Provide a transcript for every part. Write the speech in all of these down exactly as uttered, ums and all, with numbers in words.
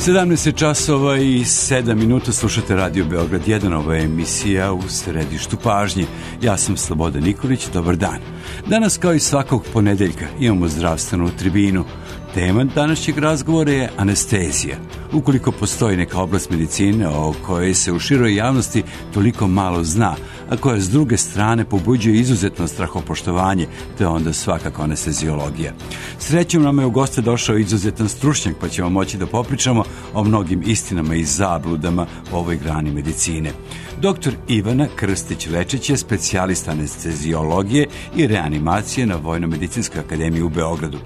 sedamnaest časova i sedam minuta, slušate Radio Beograd jedan, ova je emisija U središtu pažnje. Ja sam Slobodan Nikolić, dobar dan. Danas, kao i svakog ponedeljka, imamo zdravstvenu tribinu. Tema današnjeg razgovora je anestezija. Ukoliko postoji neka oblast medicine o kojoj se u široj javnosti toliko malo zna, a koja s druge strane pobuđuje izuzetno strahopoštovanje, te onda svakako anesteziologija. Srećom nam je u goste došao izuzetan stručnjak, pa ćemo moći da popričamo o mnogim istinama i zabludama u ovoj grani medicine. Doktor Ivana Krstić-Lečić je specijalista anesteziologije i reanimacije na Vojno-medicinskoj akademiji u Beogradu.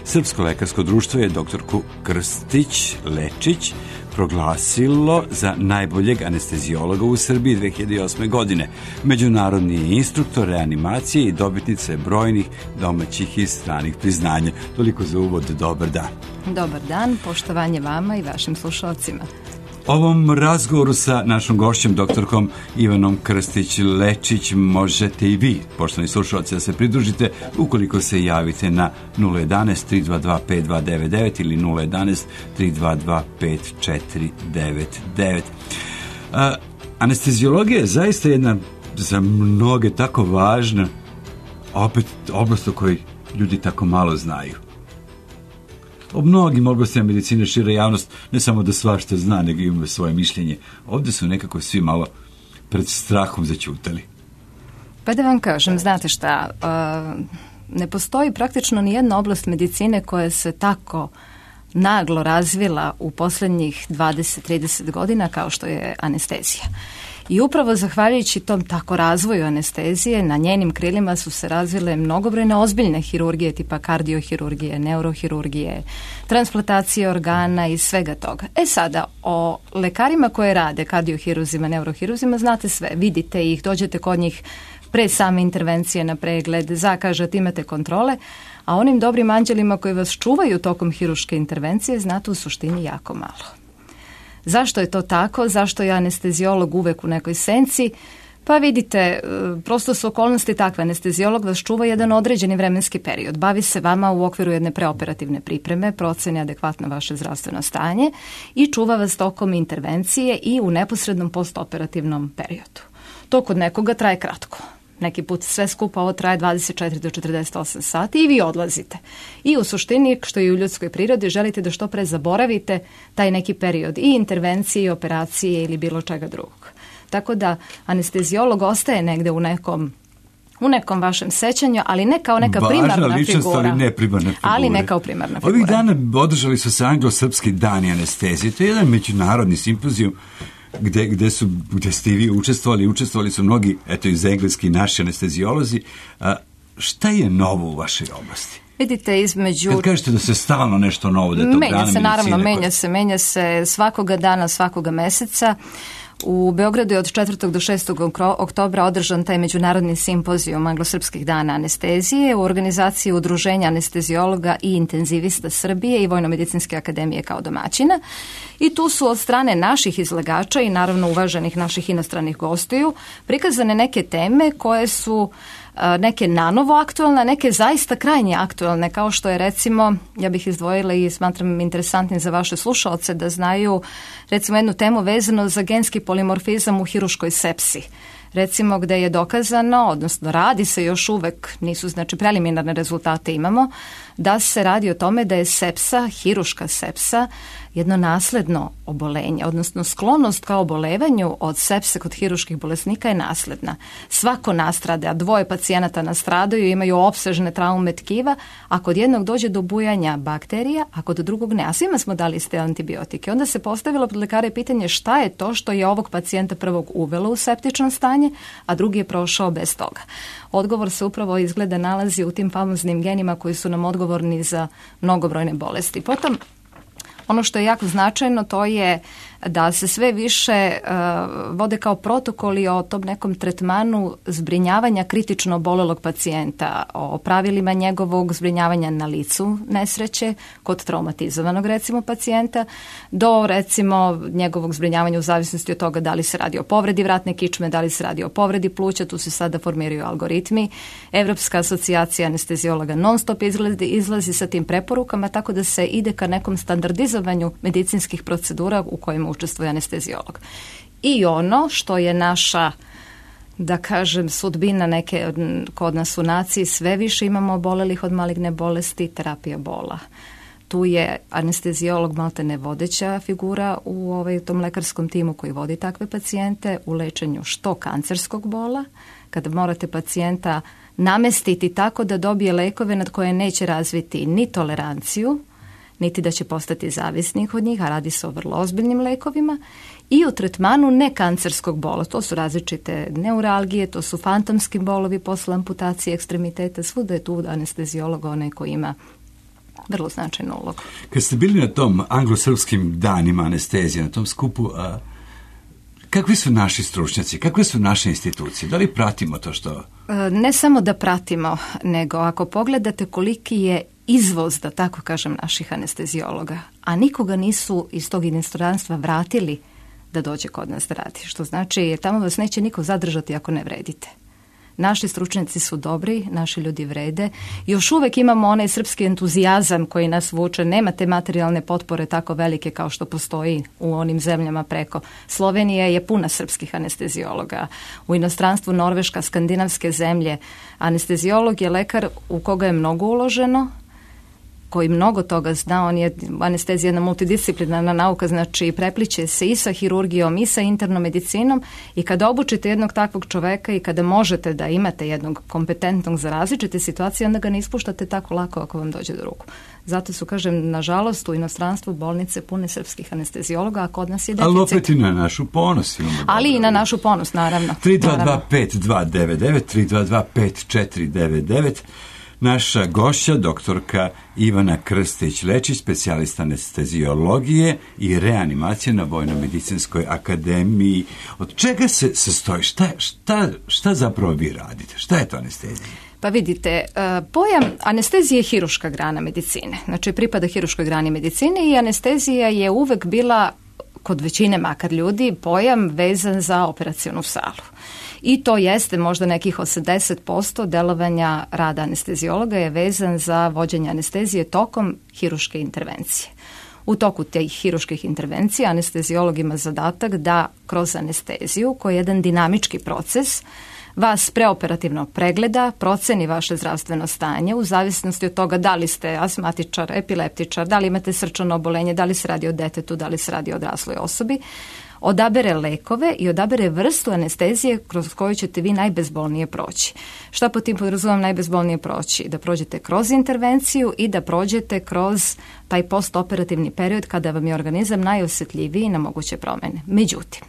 Srpsko lekarsko društvo je doktorku Krstić-Lečić proglasilo za najboljeg anesteziologa u Srbiji dve hiljade osme. godine. Međunarodni je instruktor reanimacije i dobitnica je brojnih domaćih i stranih priznanja. Toliko za uvod, dobar dan. Dobar dan, poštovanje vama i vašim slušalcima. Ovom razgovoru sa našom gošćom, doktorkom Ivanom Krstić-Lečić, možete i vi, poštovani slušalci, da se pridružite ukoliko se javite na nula jedanaest tri dva dva pet dva devet devet ili nula jedanaest tri dva dva pet četiri devet devet. A, anesteziologija je zaista jedna za mnoge tako važna, opet oblast o kojoj ljudi tako malo znaju. O mnogim oblastima medicine šira javnost ne samo da svašta zna, nego ima svoje mišljenje. Ovdje su nekako svi malo pred strahom zaćutali. Pa da vam kažem, znate šta, uh, ne postoji praktično ni jedna oblast medicine koja se tako naglo razvila u posljednjih dvadeset do trideset godina kao što je anestezija. I upravo zahvaljujući tom tako razvoju anestezije, na njenim krilima su se razvile mnogobrojne ozbiljne hirurgije tipa kardiohirurgije, neurohirurgije, transplantacije organa i svega toga. E sada, o lekarima koje rade, kardiohiruzima, neurohiruzima, znate sve, vidite ih, dođete kod njih pre same intervencije na pregled, zakažete, imate kontrole, a onim dobrim anđelima koji vas čuvaju tokom hiruške intervencije znate u suštini jako malo. Zašto je to tako? Zašto je anesteziolog uvek u nekoj senci? Pa vidite, prosto su okolnosti takve. Anesteziolog vas čuva jedan određeni vremenski period. Bavi se vama u okviru jedne preoperativne pripreme, proceni adekvatno vaše zdravstveno stanje i čuva vas tokom intervencije i u neposrednom postoperativnom periodu. To kod nekoga traje kratko. Neki put sve skupa ovo traje dvadeset četiri do četrdeset osam sati i vi odlazite. I u suštini, što je u ljudskoj prirodi, želite da što pre zaboravite taj neki period i intervencije, i operacije ili bilo čega drugog. Tako da anesteziolog ostaje negde u nekom u nekom vašem sećanju, ali ne kao neka Važna primarna ličnost, figura. ali ne primarna figura. Ali ne kao primarna figura. Ovih dana održali su se anglo-srpski dani anestezije. To je jedan međunarodni simpozijum Gde, gde, su, gde ste i vi učestvovali, učestvovali su mnogi, eto iz engleski, naši anesteziolozi. A, šta je novo u vašoj oblasti? Vidite, između... Kad kažete da se stalno nešto novo, da je to menja grana se, naravno, medicine, menja se, menja se svakoga dana, svakoga meseca. U Beogradu je od četvrtog do šestog oktobra održan taj međunarodni simpozijum anglosrpskih dana anestezije u organizaciji Udruženja anesteziologa i intenzivista Srbije i Vojno-medicinske akademije kao domaćina. I tu su od strane naših izlagača i naravno uvaženih naših inostranih gostiju prikazane neke teme koje su neke nanovo aktualne, neke zaista krajnje aktualne, kao što je recimo, ja bih izdvojila i smatram interesantnim za vaše slušaoce da znaju recimo jednu temu vezano za genski polimorfizam u hiruškoj sepsi. Recimo gde je dokazano, odnosno radi se još uvek, nisu znači preliminarne rezultate imamo, da se radi o tome da je sepsa, hiruška sepsa, jedno nasledno obolenje, odnosno sklonost ka obolevanju od sepse kod hiruških bolesnika je nasledna. Svako nastrada, dvoje pacijenata nastradaju, imaju opsežne traume tkiva, a kod jednog dođe do bujanja bakterija, a kod drugog ne. A svima smo dali ste antibiotike. Onda se postavilo pred lekare pitanje šta je to što je ovog pacijenta prvog uvelo u septično stanje, a drugi je prošao bez toga. Odgovor se upravo izgleda nalazi u tim famoznim genima koji su nam odgovorni za mnogobrojne bolesti. Potom, ono što je jako značajno to je da se sve više uh, vode kao protokoli o tom nekom tretmanu zbrinjavanja kritično obolelog pacijenta, o pravilima njegovog zbrinjavanja na licu nesreće kod traumatizovanog recimo pacijenta, do recimo njegovog zbrinjavanja u zavisnosti od toga da li se radi o povredi vratne kičme, da li se radi o povredi pluća, tu se sada formiraju algoritmi. Evropska asocijacija anesteziologa non stop izlazi, izlazi sa tim preporukama, tako da se ide ka nekom standardizovanom organizovanju medicinskih procedura u kojima učestvuje anesteziolog. I ono što je naša, da kažem, sudbina neke kod nas u naciji, sve više imamo obolelih od maligne bolesti, terapija bola. Tu je anesteziolog maltene vodeća figura u ovaj, tom lekarskom timu koji vodi takve pacijente u lečenju što kancerskog bola, kada morate pacijenta namestiti tako da dobije lekove nad koje neće razviti ni toleranciju, niti da će postati zavisnik od njih, a radi se o vrlo ozbiljnim lekovima, i u tretmanu nekancerskog bola. To su različite neuralgije, to su fantomski bolovi posle amputacije ekstremiteta, svuda je tu anesteziolog onaj koji ima vrlo značajnu ulogu. Kad ste bili na tom anglosrpskim danima anestezije, na tom skupu, a, kakvi su naši stručnjaci, kakve su naše institucije? Da li pratimo to što... Ne samo da pratimo, nego ako pogledate koliki je izvoz, da tako kažem, naših anesteziologa, a nikoga nisu iz tog inostranstva vratili da dođe kod nas da radi. Što znači, tamo vas neće niko zadržati ako ne vredite. Naši stručnjaci su dobri, naši ljudi vrede. Još uvek imamo onaj srpski entuzijazam koji nas vuče. Nema te materijalne potpore tako velike kao što postoji u onim zemljama preko. Slovenija je puna srpskih anesteziologa. U inostranstvu Norveška, skandinavske zemlje. Anesteziolog je lekar u koga je mnogo uloženo, koji mnogo toga zna. On je, anestezija jedna multidisciplinarna nauka, znači prepliče se i sa hirurgijom i sa internom medicinom, i kada obučite jednog takvog čoveka i kada možete da imate jednog kompetentnog za različite situacije, onda ga ne ispuštate tako lako ako vam dođe do ruku. Zato su, kažem, nažalost u inostranstvu bolnice pune srpskih anesteziologa, a kod nas je deficit. Ali opet i na našu ponos. Ali i na našu ponos, naravno. tri dva dva pet dva devet devet, tri dva dva pet četiri devet devet. Naša gošća, doktorka Ivana Krstić-Lečić, specijalista anesteziologije i reanimacije na Vojno-medicinskoj akademiji. Od čega se sastoji? Šta, šta, šta zapravo vi radite? Šta je to anestezija? Pa vidite, pojam anestezije je hiruška grana medicine. Znači, pripada hiruškoj grani medicine i anestezija je uvek bila, kod većine makar ljudi, pojam vezan za operacionu salu. I to jeste možda nekih osamdeset posto delovanja rada anesteziologa je vezan za vođenje anestezije tokom hiruške intervencije. U toku tih hiruških intervencija anesteziolog ima zadatak da kroz anesteziju, koji je jedan dinamički proces, vas preoperativno pregleda, proceni vaše zdravstveno stanje u zavisnosti od toga da li ste astmatičar, epileptičar, da li imate srčano obolenje, da li se radi o detetu, da li se radi o odrasloj osobi, odabere lekove i odabere vrstu anestezije kroz koju ćete vi najbezbolnije proći. Šta po tim podrazumijem najbezbolnije proći? Da prođete kroz intervenciju i da prođete kroz taj postoperativni period kada vam je organizam najosjetljiviji na moguće promjene. Međutim,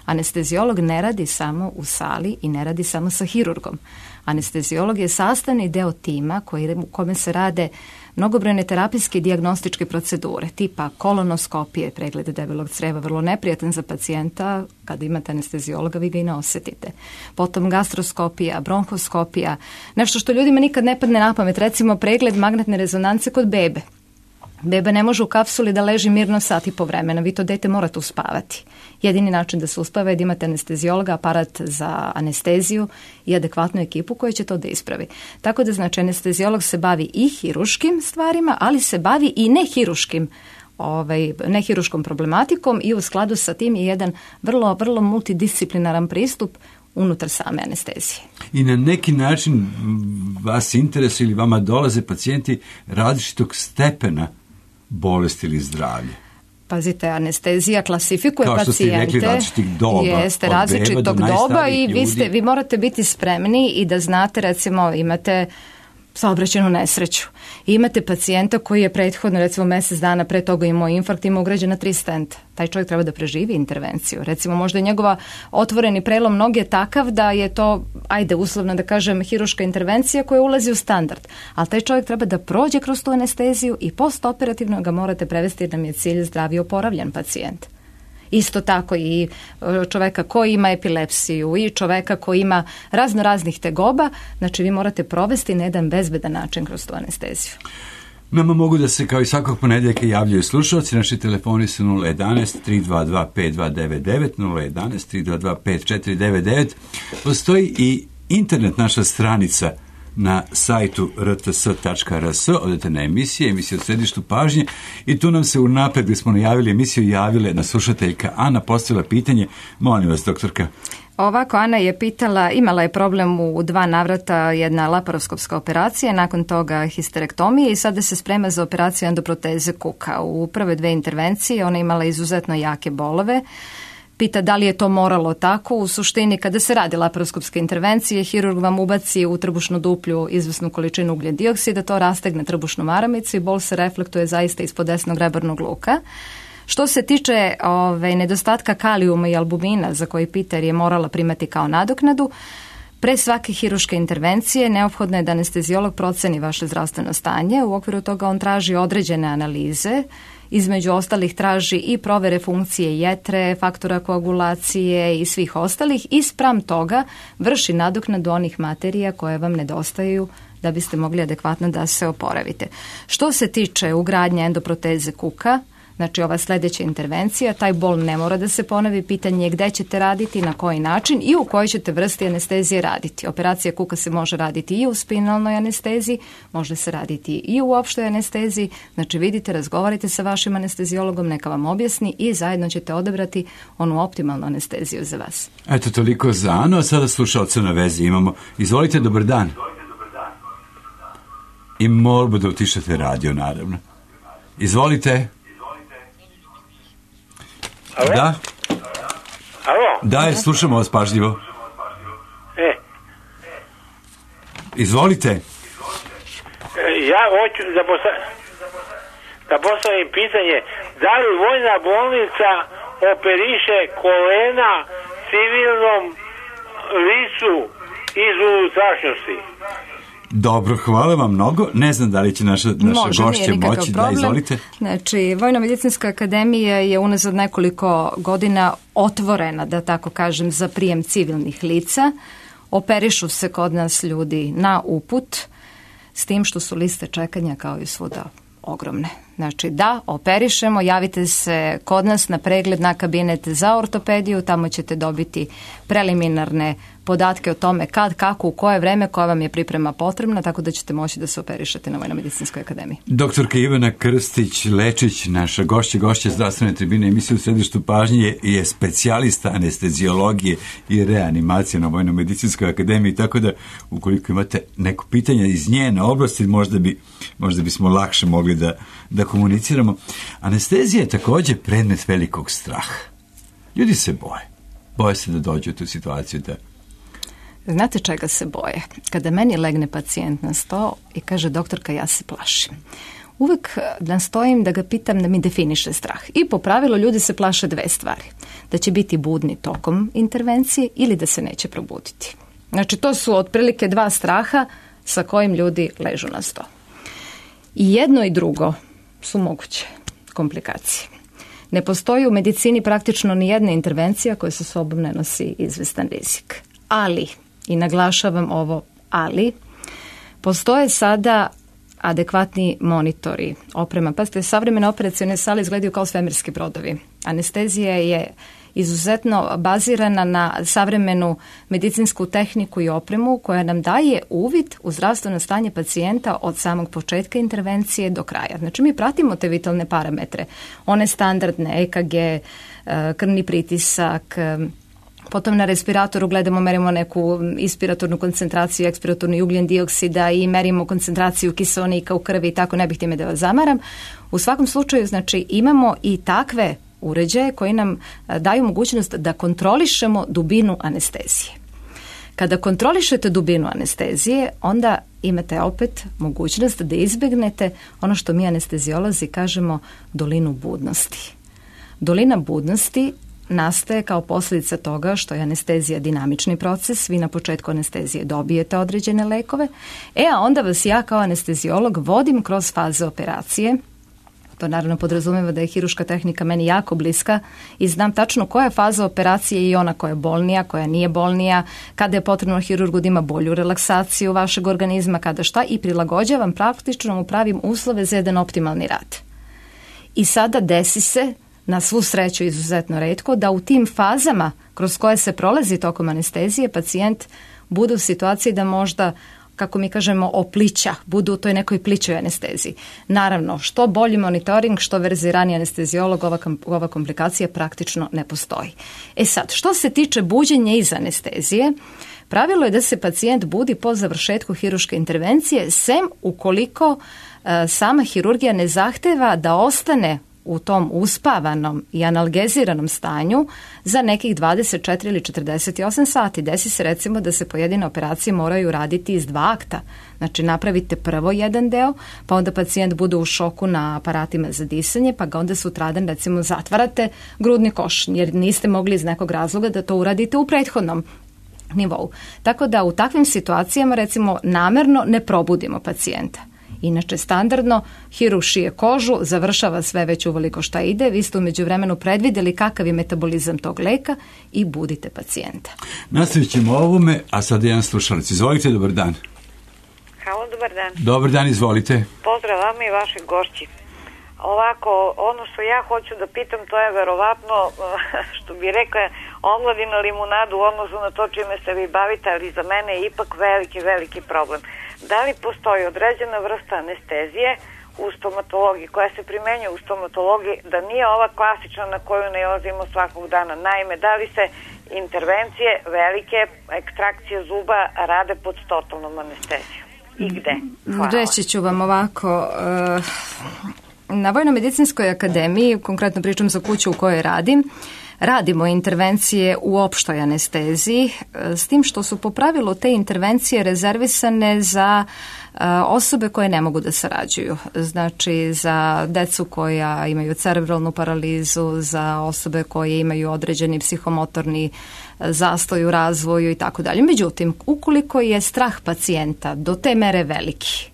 anesteziolog ne radi samo u sali i ne radi samo sa hirurgom. Anesteziolog je sastavni deo tima koji, u kome se rade mnogobrojne terapijske i dijagnostičke procedure, tipa kolonoskopije, preglede debelog creva, vrlo neprijatan za pacijenta. Kada imate anesteziologa, vi ga i ne osjetite. Potom gastroskopija, bronhoskopija, nešto što ljudima nikad ne padne na pamet, recimo pregled magnetne rezonance kod bebe. Beba ne može u kapsuli da leži mirno sat i po vremena, vi to dete morate uspavati. Jedini način da se uspava je da imate anesteziologa, aparat za anesteziju i adekvatnu ekipu koja će to da ispravi. Tako da, znači, anesteziolog se bavi i hiruškim stvarima, ali se bavi i nehiruškim, ovaj, nehiruškom problematikom i u skladu sa tim je jedan vrlo, vrlo multidisciplinaran pristup unutar same anestezije. I na neki način vas interesuje ili vama dolaze pacijenti različitog stepena bolesti ili zdravlja? Pazite, anestezija klasifikuje pacijente. Kao što ste rekli, različitih doba. Jeste, različitog doba i vi, ste, vi morate biti spremni i da znate, recimo, imate saobraćajnu nesreću. I imate pacijenta koji je prethodno, recimo mjesec dana pre toga imao infarkt, ima ugrađena tri stenta. Taj čovjek treba da preživi intervenciju. Recimo, možda je njegova otvoreni prelom noge takav da je to, ajde, uslovno da kažem, hiruška intervencija koja ulazi u standard. Ali taj čovjek treba da prođe kroz tu anesteziju i postoperativno ga morate prevesti jer nam je cilj zdrav i oporavljen pacijent. Isto tako i čoveka koji ima epilepsiju i čoveka koji ima razno raznih tegoba, znači vi morate provesti na jedan bezbedan način kroz tu anesteziju. Nama mogu da se kao i svakog ponedjeljka javljaju slušalci, naši telefoni su nula jedanaest tri dva dva pet dva devet devet, nula jedanaest tri dva dva pet četiri devet devet. Postoji i internet naša stranica na sajtu r t s tačka r s, odete na emisije, emisije u središtu pažnje i tu nam se unapred gdje smo najavili emisiju javile na slušateljka Ana, postavila pitanje. Molim vas, doktorka. Ovako, Ana je pitala, imala je problem u dva navrata, jedna laparoskopska operacija, nakon toga histerektomije i sada se sprema za operaciju endoproteze kuka. U prve dve intervencije ona imala izuzetno jake bolove. Pita da li je to moralo tako. U suštini, kada se radi laparoskopske intervencije, hirurg vam ubaci u trbušnu duplju izvesnu količinu ugljen dioksida, to rastegne trbušnu maramicu i bol se reflektuje zaista ispod desnog rebarnog luka. Što se tiče ove, nedostatka kalijuma i albumina, za koji pita jer je morala primati kao nadoknadu, pre svake hiruške intervencije neophodno je da anesteziolog proceni vaše zdravstveno stanje. U okviru toga on traži određene analize, između ostalih traži i provere funkcije jetre, faktora koagulacije i svih ostalih i spram toga vrši nadoknadu onih materija koje vam nedostaju da biste mogli adekvatno da se oporavite. Što se tiče ugradnje endoproteze kuka, znači ova sljedeća intervencija, taj bol ne mora da se ponovi, pitanje je gde ćete raditi, na koji način i u kojoj ćete vrsti anestezije raditi. Operacija kuka se može raditi i u spinalnoj anesteziji, može se raditi i u opštoj anesteziji, znači vidite, razgovarajte sa vašim anesteziologom, neka vam objasni i zajedno ćete odabrati onu optimalnu anesteziju za vas. Eto, toliko za Anu, a sada slušalca na vezi imamo. Izvolite, dobar dan. I molbu da utišate radio, naravno. Izvolite. Alo? Da? Alo? Da, slušamo vas pažljivo. E. Izvolite. E, ja hoću da, posta... da postavim pitanje, da li vojna bolnica operiše kolena civilnom licu iz unutrašnjosti? Dobro, hvala vam mnogo. Ne znam da li će naša, naša Može, gošće moći. Da, izvolite. Znači, Vojno-medicinska akademija je unazad nekoliko godina otvorena, da tako kažem, za prijem civilnih lica. Operišu se kod nas ljudi na uput, s tim što su liste čekanja kao i svuda ogromne. Znači da, operišemo, javite se kod nas na pregled na kabinet za ortopediju, tamo ćete dobiti preliminarne podatke o tome kad, kako, u koje vreme, koja vam je priprema potrebna, tako da ćete moći da se operišete na Vojno-medicinskoj akademiji. Doktorka Ivana Krstić-Lečić, naša gošća, gošća zdravstvene tribine emisije u središtu pažnje, je specijalista anesteziologije i reanimacije na Vojno-medicinskoj akademiji, tako da ukoliko imate neko pitanje iz njene oblasti, možda bi, možda bismo lakše mogli da, da komuniciramo. Anestezija je također predmet velikog straha. Ljudi se boje. Boje se da dođu u tu situaciju da... Znate čega se boje? Kada meni legne pacijent na sto i kaže doktorka ja se plašim. Uvek nastojim da ga pitam da mi definiše strah. I po pravilu ljudi se plaše dve stvari. Da će biti budni tokom intervencije ili da se neće probuditi. Znači to su otprilike dva straha sa kojim ljudi ležu na sto. I jedno i drugo su moguće komplikacije. Ne postoji u medicini praktično ni jedna intervencija koja sa sobom ne nosi izvestan rizik. Ali, i naglašavam ovo ali, postoje sada adekvatni monitori, oprema. Pazite, savremene operacione sale izgledaju kao svemirski brodovi. Anestezija je izuzetno bazirana na savremenu medicinsku tehniku i opremu koja nam daje uvid u zdravstveno stanje pacijenta od samog početka intervencije do kraja. Znači mi pratimo te vitalne parametre, one standardne, E K G, krvni pritisak, potom na respiratoru gledamo, merimo neku inspiratornu koncentraciju, ekspiratorni ugljen dioksida i merimo koncentraciju kiseonika u krvi i tako, ne bih time da vas zamaram. U svakom slučaju, znači, imamo i takve uređaje koji nam daju mogućnost da kontrolišemo dubinu anestezije. Kada kontrolišete dubinu anestezije, onda imate opet mogućnost da izbjegnete ono što mi anesteziolozi kažemo dolinu budnosti. Dolina budnosti nastaje kao posljedica toga što je anestezija dinamični proces, vi na početku anestezije dobijete određene lekove, e a onda vas ja kao anesteziolog vodim kroz faze operacije. To naravno podrazumijeva da je hiruška tehnika meni jako bliska i znam tačno koja je faza operacije i ona koja je bolnija, koja nije bolnija, kada je potrebno hirurgu da ima bolju relaksaciju vašeg organizma, kada šta, i prilagođavam, praktično mu pravim uslove za jedan optimalni rad. I sada desi se, na svu sreću izuzetno retko, da u tim fazama kroz koje se prolazi tokom anestezije pacijent bude u situaciji da možda kako mi kažemo, oplića, budu u toj nekoj plićoj anesteziji. Naravno, što bolji monitoring, što verziraniji anesteziolog, ova, ova komplikacija praktično ne postoji. E sad, što se tiče buđenja iz anestezije, pravilo je da se pacijent budi po završetku hirurške intervencije, sem ukoliko e, sama hirurgija ne zahteva da ostane u tom uspavanom i analgeziranom stanju za nekih dvadeset četiri ili četrdeset osam sati. Desi se recimo da se pojedine operacije moraju raditi iz dva akta. Znači napravite prvo jedan deo, pa onda pacijent bude u šoku na aparatima za disanje, pa ga onda sutradan recimo zatvarate grudni koš, jer niste mogli iz nekog razloga da to uradite u prethodnom nivou. Tako da u takvim situacijama recimo namerno ne probudimo pacijenta. Inače, standardno, hirurg šije kožu, završava sve već uveliko šta ide, vi ste u međuvremenu predvidjeli kakav je metabolizam tog leka i budite pacijenta. Nastavit ćemo ovome, a sad jedan slušalac. Izvolite, dobar dan. Halo, dobar dan. Dobar dan, izvolite. Pozdrav vama i vaših gošći. Ovako, ono što ja hoću da pitam, to je verovatno, što bi rekla, omladina limunadu u odnosu na to čime se vi bavite, ali za mene je ipak veliki, veliki problem. Da li postoji određena vrsta anestezije u stomatologiji, koja se primenjuje u stomatologiji, da nije ova klasična na koju nailazimo svakog dana? Naime, da li se intervencije, velike ekstrakcije zuba rade pod totalnom anestezijom? I gde? Hvala. Reći ću vam ovako... Uh... Na Vojno-medicinskoj akademiji, konkretno pričam za kuću u kojoj radim, radimo intervencije u opštoj anesteziji, s tim što su po pravilu te intervencije rezervisane za osobe koje ne mogu da sarađuju. Znači za decu koja imaju cerebralnu paralizu, za osobe koje imaju određeni psihomotorni zastoj u razvoju i tako dalje. Međutim, ukoliko je strah pacijenta do te mere veliki,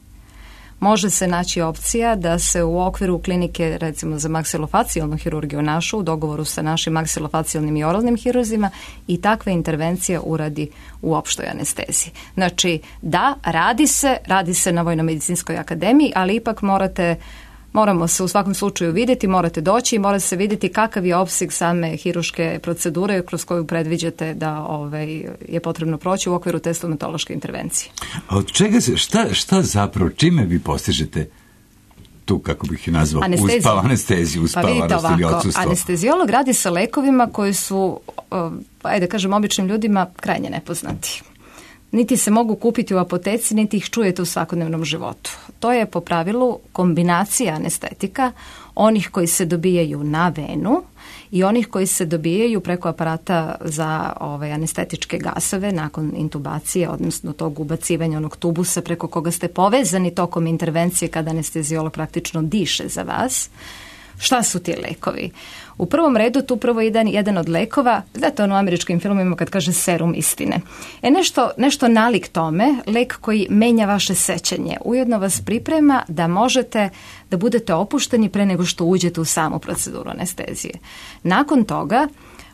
može se naći opcija da se u okviru klinike, recimo za maksilofacijalnu hirurgiju našu, u dogovoru sa našim maksilofacijalnim i oralnim hirurzima, i takva intervencija uradi u opštoj anesteziji. Znači, da, radi se, radi se na Vojno-medicinskoj akademiji, ali ipak morate, moramo se u svakom slučaju vidjeti, morate doći i mora se vidjeti kakav je opseg same hirurške procedure kroz koju predviđate da ovaj, je potrebno proći u okviru te stomatološke intervencije. A od čega se, šta, šta zapravo, čime vi postižete tu, kako bih je nazvao, uspava, anesteziju, uspavanost ili odsustvo? Anesteziolog radi sa lekovima koji su, ajde kažem, običnim ljudima krajnje nepoznati. Niti se mogu kupiti u apoteci, niti ih čujete u svakodnevnom životu. To je po pravilu kombinacija anestetika, onih koji se dobijaju na venu i onih koji se dobijaju preko aparata za ovaj, anestetičke gasove nakon intubacije, odnosno tog ubacivanja onog tubusa preko koga ste povezani tokom intervencije kada anesteziolog praktično diše za vas. Šta su ti lekovi? U prvom redu tu prvo jedan, jedan od lekova, znate ono u američkim filmima kad kaže serum istine. E nešto, nešto nalik tome, lek koji menja vaše sećanje, ujedno vas priprema da možete da budete opušteni pre nego što uđete u samu proceduru anestezije. Nakon toga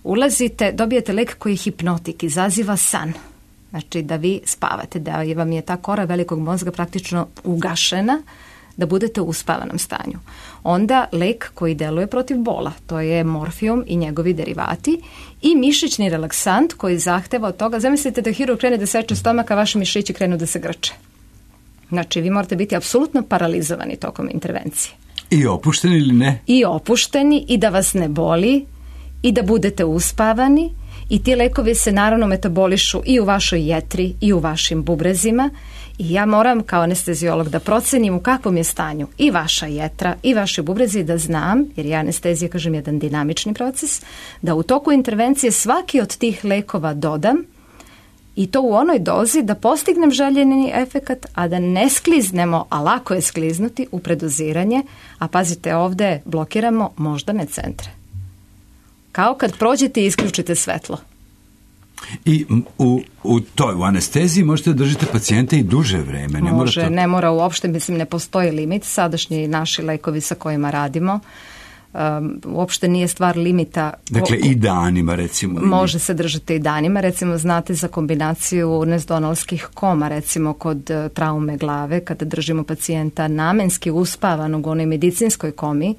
ulazite, dobijete lek koji je hipnotik, izaziva san. Znači da vi spavate, da vam je ta kora velikog mozga praktično ugašena, da budete u uspavanom stanju. Onda lek koji deluje protiv bola, to je morfijum i njegovi derivati, i mišićni relaksant koji zahteva od toga, zamislite da hirurg krene da seče stomak, a vaši mišići krenu da se grče. Znači vi morate biti apsolutno paralizovani tokom intervencije. I opušteni ili ne? I opušteni i da vas ne boli i da budete uspavani, i ti lekovi se naravno metabolišu i u vašoj jetri i u vašim bubrezima. I ja moram kao anesteziolog da procenim u kakvom je stanju i vaša jetra i vaše bubrezi, da znam, jer je anestezija, kažem, jedan dinamični proces, da u toku intervencije svaki od tih lekova dodam, i to u onoj dozi da postignem željeni efekat, a da ne skliznemo, a lako je skliznuti u predoziranje, a pazite, ovdje blokiramo moždane centre. Kao kad prođete i isključite svetlo. I u, u toj u anesteziji možete držati pacijente i duže vreme. Ne Može, mora to... ne mora uopšte, mislim, ne postoji limit. Sadašnji naši lekovi sa kojima radimo, um, uopšte nije stvar limita. Dakle, i danima, recimo. Može se držati i danima. Recimo, znate za kombinaciju nesdonalskih koma, recimo kod uh, traume glave, kada držimo pacijenta namenski uspavanog u onoj medicinskoj komi,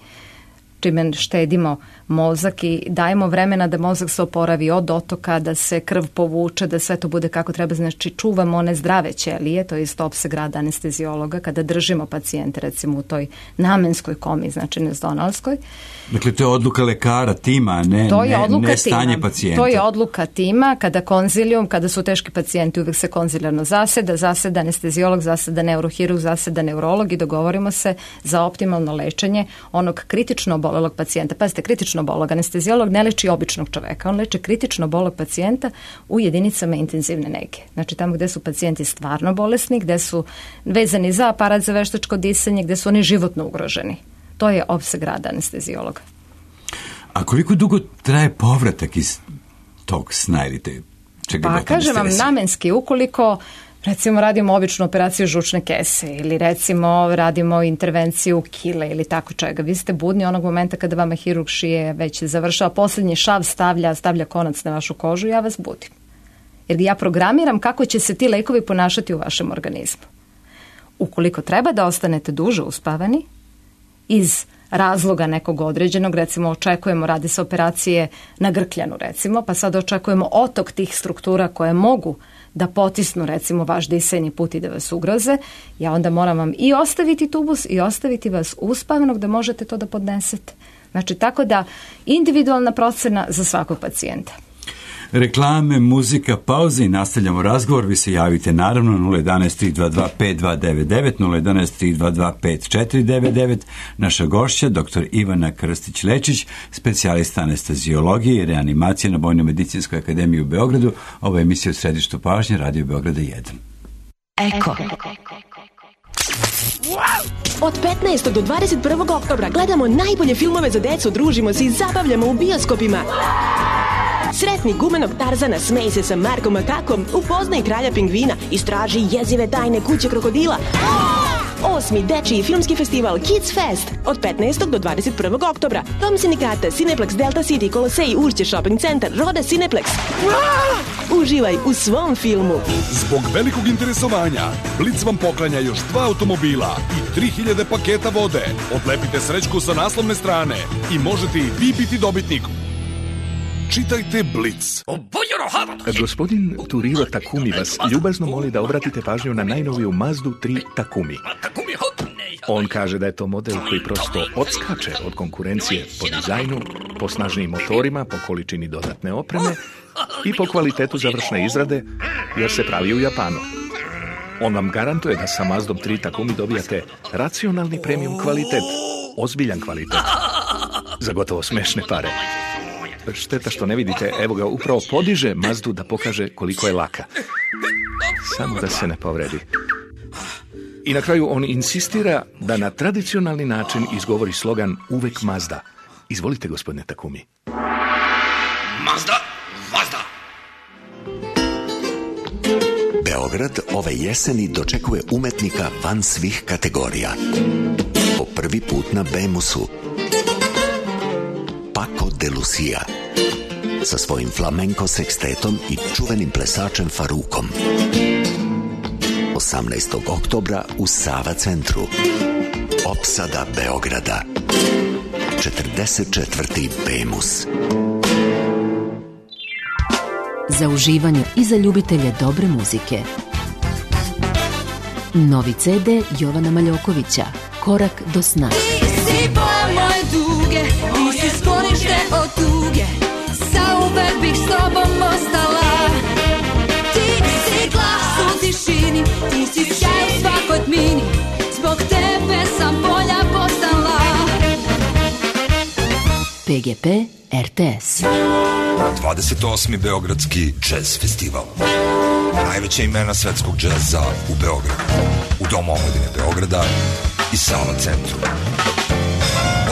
čime štedimo mozak i dajemo vremena da mozak se oporavi od otoka, da se krv povuče, da sve to bude kako treba. Znači čuvamo one zdrave ćelije, to je isto opseg rada anestezijologa, kada držimo pacijente recimo u toj namenskoj komi, znači nezdonalskoj. Dakle, to je odluka lekara, tima, ne, to je ne, ne tima. stanje pacijenta. To je odluka tima, kada konzilijum, kada su teški pacijenti, uvijek se konzilijarno zaseda, zaseda anestezijolog, zaseda neurohirurg, zaseda neurolog i dogovorimo se za optimalno lečenje onog kritično obolelog pacijenta. Pazite, kritično obolelog anestezijolog ne leči običnog čoveka, on leči kritično obolelog pacijenta u jedinicama intenzivne nege. Znači tamo gde su pacijenti stvarno bolesni, gde su vezani za aparat za veštačko disanje, gde su oni životno ugroženi. To je opseg rada anestezijologa. A koliko dugo traje povratak iz tog sna ili te čega? Pa kažem vam namenski, ukoliko recimo radimo običnu operaciju žučne kese ili recimo radimo intervenciju kile ili tako čega. Vi ste budni onog momenta kada vama hirurg šije već završava, posljednji šav stavlja, stavlja konac na vašu kožu, ja vas budim. Jer ja programiram kako će se ti lekovi ponašati u vašem organizmu. Ukoliko treba da ostanete duže uspavani, iz razloga nekog određenog, recimo očekujemo, radi se operacije na grkljanu recimo, pa sad očekujemo otok tih struktura koje mogu da potisnu recimo vaš disajni put i da vas ugroze, ja onda moram vam i ostaviti tubus i ostaviti vas uspavanog da možete to da podnesete. Znači tako da individualna procena za svakog pacijenta. Reklame, muzika, pauze i nastavljamo razgovor. Vi se javite naravno nula jedan tri dva dva pet dva devet devet, nula jedan tri dva dva pet četiri devet devet. Naša gošća, doktor Ivana Krstić-Lečić, specijalista anestezijologije i reanimacije na Vojno-medicinskoj akademiji u Beogradu. Ovo je emisija u središtu pažnje, Radio Beograda jedan. Eko. Od petnaestog do dvadeset prvog oktobra gledamo najbolje filmove za decu, družimo se i zabavljamo u bioskopima. Sretni gumenog Tarzana, smej se sa Markom Makakom, upoznaj kralja pingvina, istraži jezive tajne kuće krokodila. Osmi dečiji filmski festival Kids Fest od petnaestog do dvadeset prvog oktobra. Dom sindikata, Cineplex, Delta City, Kolosej, Ušće Shopping Centar, Roda Cineplex. Uživaj u svom filmu. Zbog velikog interesovanja, Blic vam poklanja još dva automobila i tri hiljade paketa vode. Odlepite srećku sa naslovne strane i možete i vi biti dobitnik. Čitajte Blic. Gospodin Turiro Takumi vas ljubazno moli da obratite pažnju na najnoviju Mazdu tri Takumi. On kaže da je to model koji prosto odskače od konkurencije po dizajnu, po snažnijim motorima, po količini dodatne opreme i po kvalitetu završne izrade, jer se pravi u Japanu. On vam garantuje da sa Mazdom tri Takumi dobijate racionalni premium kvalitet, ozbiljan kvalitet, za gotovo smešne pare. Šteta što ne vidite, evo ga, upravo podiže Mazdu da pokaže koliko je laka. Samo da se ne povredi. I na kraju on insistira da na tradicionalni način izgovori slogan uvek Mazda. Izvolite, gospodine Takumi. Mazda, Mazda! Beograd ove jeseni dočekuje umetnika van svih kategorija. Po prvi put na Bemusu. Paco de Lucia sa svojim flamenko sekstetom i čuvenim plesačem Farukom. osamnaestog oktobra u Sava centru. Opsada Beograda. četrdeset četvrti Bemus. Za uživanje i za ljubitelje dobre muzike. Novi ce de Jovana Maljokovića, Korak do sna. Si boja moje duge, ti si sklonište od tuge, zauvek bih s tobom ostala. Ti si glas u tišini, ti si sjaj u svakoj tmini, zbog tebe sam bolja postala. pe ge pe er te es. dvadeset osmi Beogradski jazz festival. Najveća imena svetskog džeza u Beogradu, u Domu omladine Beograda i Sava centru.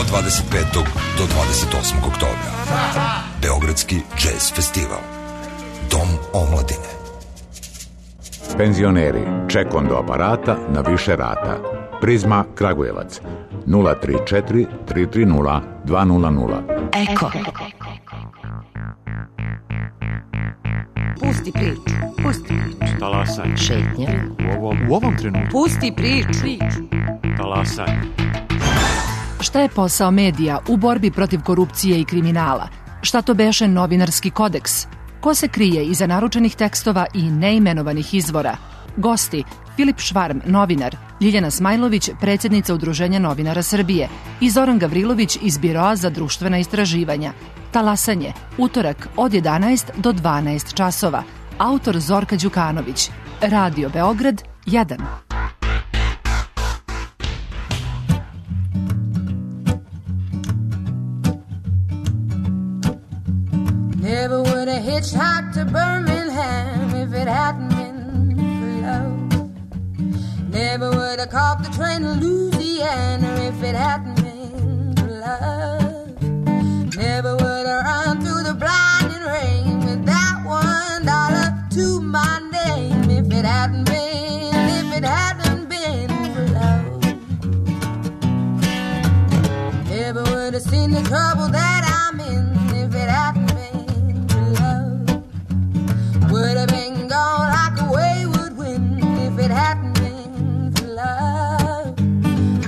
Od dvadeset petog do dvadeset osmog oktobra. Beogradski jazz festival. Dom omladine. Penzioneri, ček do aparata na više rata. Prizma Kragujevac nula tri četiri tri tri nula dva nula nula. Eko. Pusti priču, pusti priču. Talasaj. Šetnja. U ovom, u ovom trenutku. Pusti priču. Talasaj. Šta je posao medija u borbi protiv korupcije i kriminala? Šta to beše novinarski kodeks? Ko se krije iza naručenih tekstova i neimenovanih izvora? Gosti: Filip Švarm, novinar, Ljiljana Smajlović, predsjednica Udruženja novinara Srbije i Zoran Gavrilović iz Biroa za društvena istraživanja. Talasanje, utorak od jedanaest do dvanaest časova. Autor Zorka Đukanović. Radio Beograd jedan. Never would have hitchhiked to Birmingham if it hadn't been for love. Never would have caught the train to Louisiana if it hadn't been for love. Never would have run through the blinding rain with that one dollar to my name if it hadn't been, if it hadn't been for love. Never would have seen the trouble that I'm in if it hadn't been for love. Would have been gone like a wayward wind if it hadn't been for love.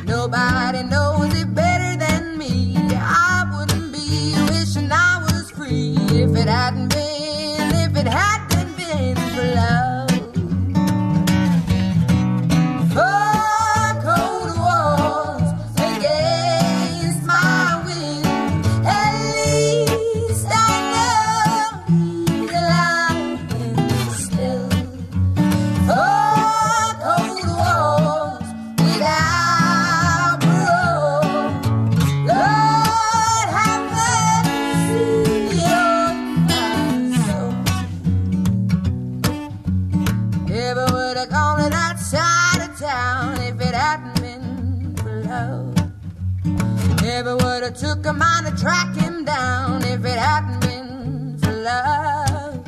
Nobody knows it better than me. I wouldn't be wishing I was free if it hadn't been, if it hadn't been for love. Four cold walls against my will. At least I know he's alive and still. Four cold walls without parole. Lord have mercy on my soul. Never would have gone to that side of town if it hadn't been for love. Never would have took a mind to track him down if it hadn't been for love.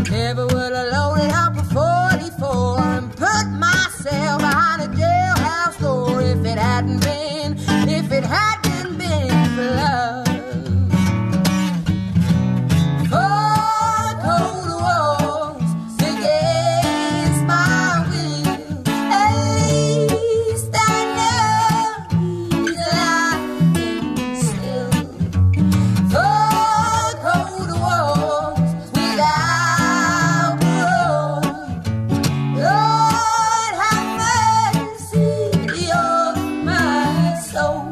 Never would have loaded up a forty-four and put myself behind a jailhouse door if it hadn't been, if it hadn't been for love. Four cold walls against my will. At least I know he's alive and still. Four cold walls without parole. Lord have mercy on my soul.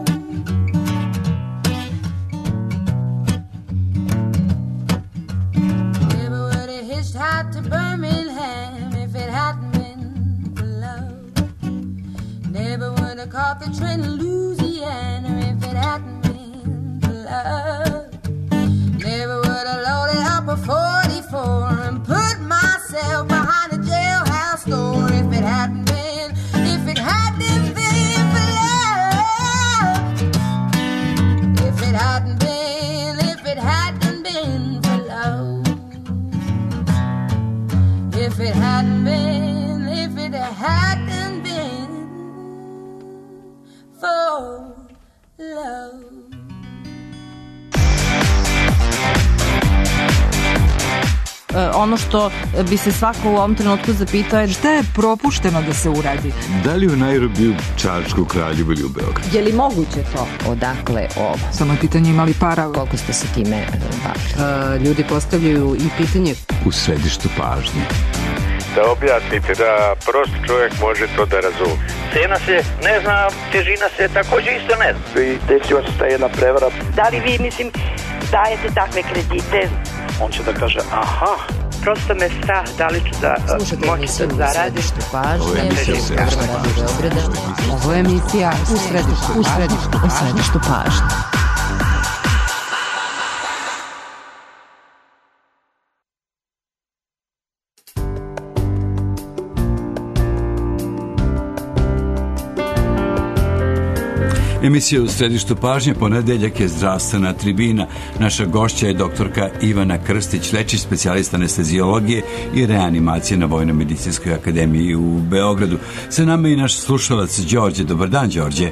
Never would have hitchhiked to Birmingham if it hadn't been for love. Never would have caught the train to Louisiana if it hadn't been for love. Never would have loaded up a forty-four and put myself behind a jailhouse door if it hadn't been, if it hadn't been for love. If it hadn't been, if it hadn't been for love. If it hadn't been, if it hadn't been for love. Ono što bi se svako u ovom trenutku zapitao je šta je propušteno da se uradi. Da li u Nairobiju, Čačku, Kraljevu ili u Beogradu? Je li moguće to? Odakle ovo? Samo je pitanje imali para. Koliko ste se time bavili? Uh, ljudi postavljaju i pitanje. U središtu pažnje. Da objasnite da prost čovjek može to da razumije. Cena se ne zna, težina se također isto ne zna. I desila se ta jedna prevara. Da li vi, mislim, dajete takve kredite? On će da kaže, aha, prosto me strah da li ću da moći da zaradim. Ovo je emisija u središtu pažnje. Ovo je emisija u središtu, u središtu, u središtu pažnje. Emisija u središtu pažnje, ponedeljak je zdravstvena tribina. Naša gošća je doktorka Ivana Krstić-Lečić, specijalista anesteziologije i reanimacije na Vojno-medicinskoj akademiji u Beogradu. Sa nama je i naš slušalac Đorđe. Dobar dan, Đorđe.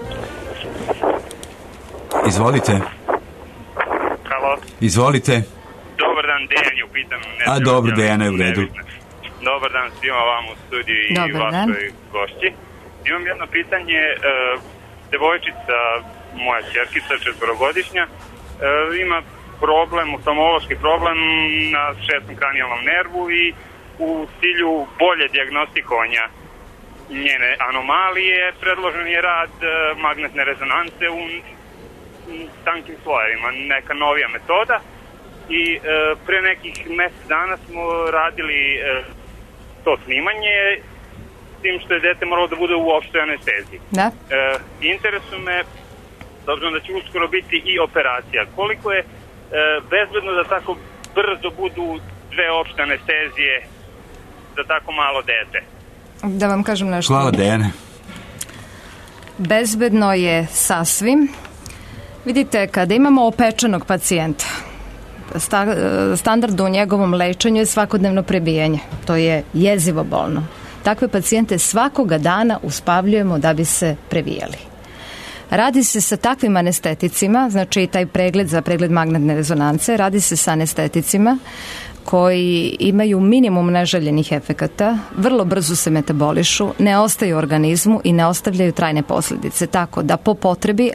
Izvolite. Halo. Izvolite. Dobar dan, Dejan je u pitanju. A dobro, Dejana je u redu. Dobar dan svima vam u studiju i vašoj gošći. Imam jedno pitanje. devojčica, moja ćerkica, četvorogodišnja, e, ima problem, oftalmološki problem na šestom kranijalnom nervu i u cilju bolje dijagnostikovanja njene anomalije predložen je rad e, magnetne rezonance u tankim slojevima, neka novija metoda i e, pre nekih mesec dana smo radili e, to snimanje, s tim što je dete moralo da bude u opštoj anesteziji. Da. E, interesuje me, s obzirom da će uskoro biti i operacija, koliko je e, bezbedno da tako brzo budu dve opšte anestezije za tako malo dete? Da vam kažem nešto. Hvala, Dejane. Bezbedno je sasvim. Vidite, kada imamo opečenog pacijenta, sta, standard u njegovom lečenju je svakodnevno prebijanje. To je jezivo bolno. Takve pacijente svakoga dana uspavljujemo da bi se previjali. Radi se sa takvim anesteticima, znači taj pregled za pregled magnetne rezonance, radi se sa anesteticima koji imaju minimum neželjenih efekata, vrlo brzo se metabolišu, ne ostaju u organizmu i ne ostavljaju trajne posljedice. Tako da po potrebi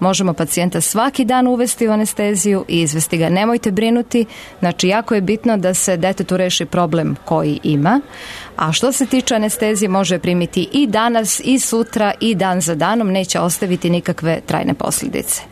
možemo pacijenta svaki dan uvesti u anesteziju i izvesti ga. Nemojte brinuti, znači jako je bitno da se detetu reši problem koji ima, a što se tiče anestezije može primiti i danas i sutra i dan za danom, neće ostaviti nikakve trajne posljedice.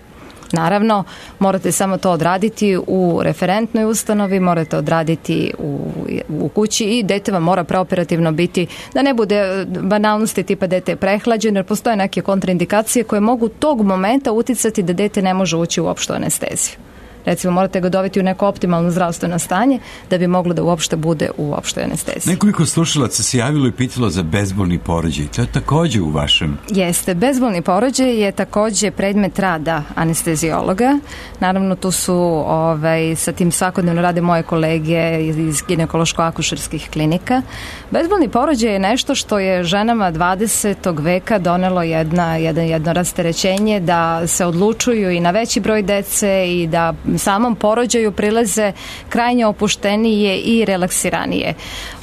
Naravno, morate samo to odraditi u referentnoj ustanovi, morate odraditi u, u kući i dete vam mora preoperativno biti, da ne bude banalnosti tipa dete je prehlađeno, jer postoje neke kontraindikacije koje mogu tog momenta uticati da dete ne može ući u opštu anesteziju. Recimo, morate ga dovesti u neko optimalno zdravstveno stanje da bi moglo da uopšte bude u opštoj anesteziji. Nekoliko slušalaca se javilo i pitalo za bezbolni porođaj. To je takođe u vašem... Jeste. Bezbolni porođaj je takođe predmet rada anestezijologa. Naravno, tu su ovaj, sa tim svakodnevno rade moje kolege iz ginekološko-akušerskih klinika. Bezbolni porođaj je nešto što je ženama dvadesetog veka donelo jedna, jedno, jedno rasterećenje da se odlučuju i na veći broj dece i da samom porođaju prilaze krajnje opuštenije i relaksiranije.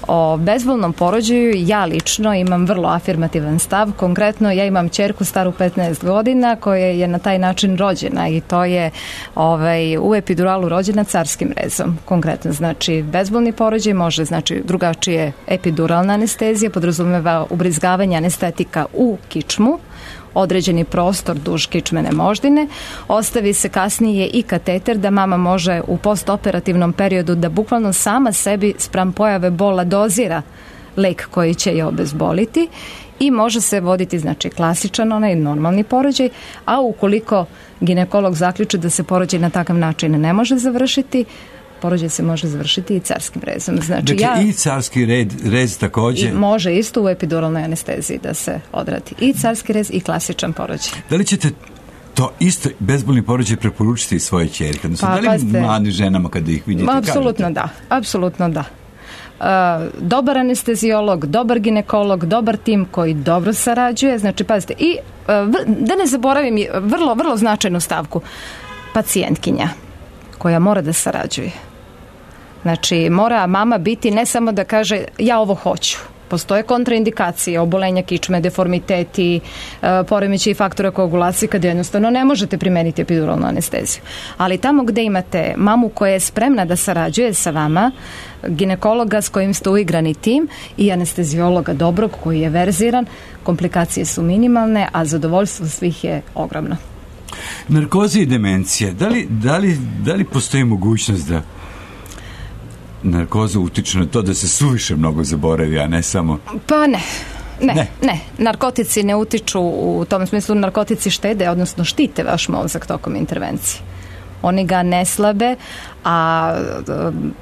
O bezbolnom porođaju ja lično imam vrlo afirmativan stav. Konkretno ja imam ćerku staru petnaest godina koja je na taj način rođena i to je ovaj, u epiduralu rođena carskim rezom. Konkretno znači bezbolni porođaj može znači drugačije epiduralna anestezija, podrazumeva ubrizgavanje anestetika u kičmu, određeni prostor duž kičmene moždine, ostavi se kasnije i kateter da mama može u postoperativnom periodu da bukvalno sama sebi spram pojave bola dozira lek koji će je obezboliti i može se voditi znači klasičan onaj normalni porođaj, a ukoliko ginekolog zaključi da se porođaj na takav način ne može završiti, porođaj se može završiti i carskim rezom. Znači, dakle, ja, i carski red, rez takođe? I može isto u epiduralnoj anesteziji da se odradi. I carski rez i klasičan porođaj. Da li ćete to isto bezbolni porođaj preporučiti svoje ćerke? Pa, da li pazite, mladim ženama kada ih vidite? Apsolutno da. Apsolutno da. Uh, dobar anestezijolog, dobar ginekolog, dobar tim koji dobro sarađuje. Znači, pazite, i uh, da ne zaboravim vrlo, vrlo značajnu stavku. Pacijentkinja koja mora da sarađuje. Znači, mora mama biti ne samo da kaže ja ovo hoću. Postoje kontraindikacije, obolenja kičme, deformiteti, poremećaji faktora koagulacije kada jednostavno ne možete primeniti epiduralnu anesteziju. Ali tamo gde imate mamu koja je spremna da sarađuje sa vama, ginekologa s kojim ste uigrani tim i anestezijologa dobrog koji je verziran, komplikacije su minimalne, a zadovoljstvo svih je ogromno. Narkoza i demencija, da li, da li, da li postoji mogućnost da narkoza utiče na to da se suviše mnogo zaboravi, a ne samo... Pa ne. Ne, ne, ne. Narkotici ne utiču u tom smislu, narkotici štede, odnosno štite vaš mozak tokom intervencije. Oni ga ne slabe, a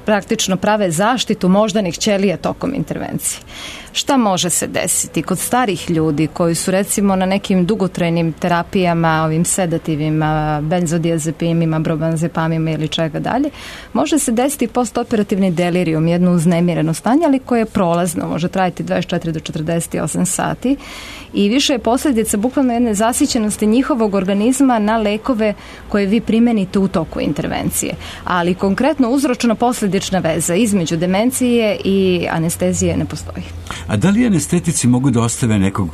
praktično prave zaštitu moždanih ćelija tokom intervencije. Šta može se desiti kod starih ljudi koji su recimo na nekim dugotrajnim terapijama, ovim sedativima, benzodiazepinima, brobanzepamima ili čega dalje, može se desiti postoperativni delirium, jedno uznemireno stanje, ali koje je prolazno, može trajati dvadeset četiri do četrdeset osam sati i više je posljedica bukvalno jedne zasićenosti njihovog organizma na lekove koje vi primenite u toku intervencije. Ali konkretno uzročno-posljedična veza između demencije i anestezije ne postoji. A da li anestetici mogu da ostave nekog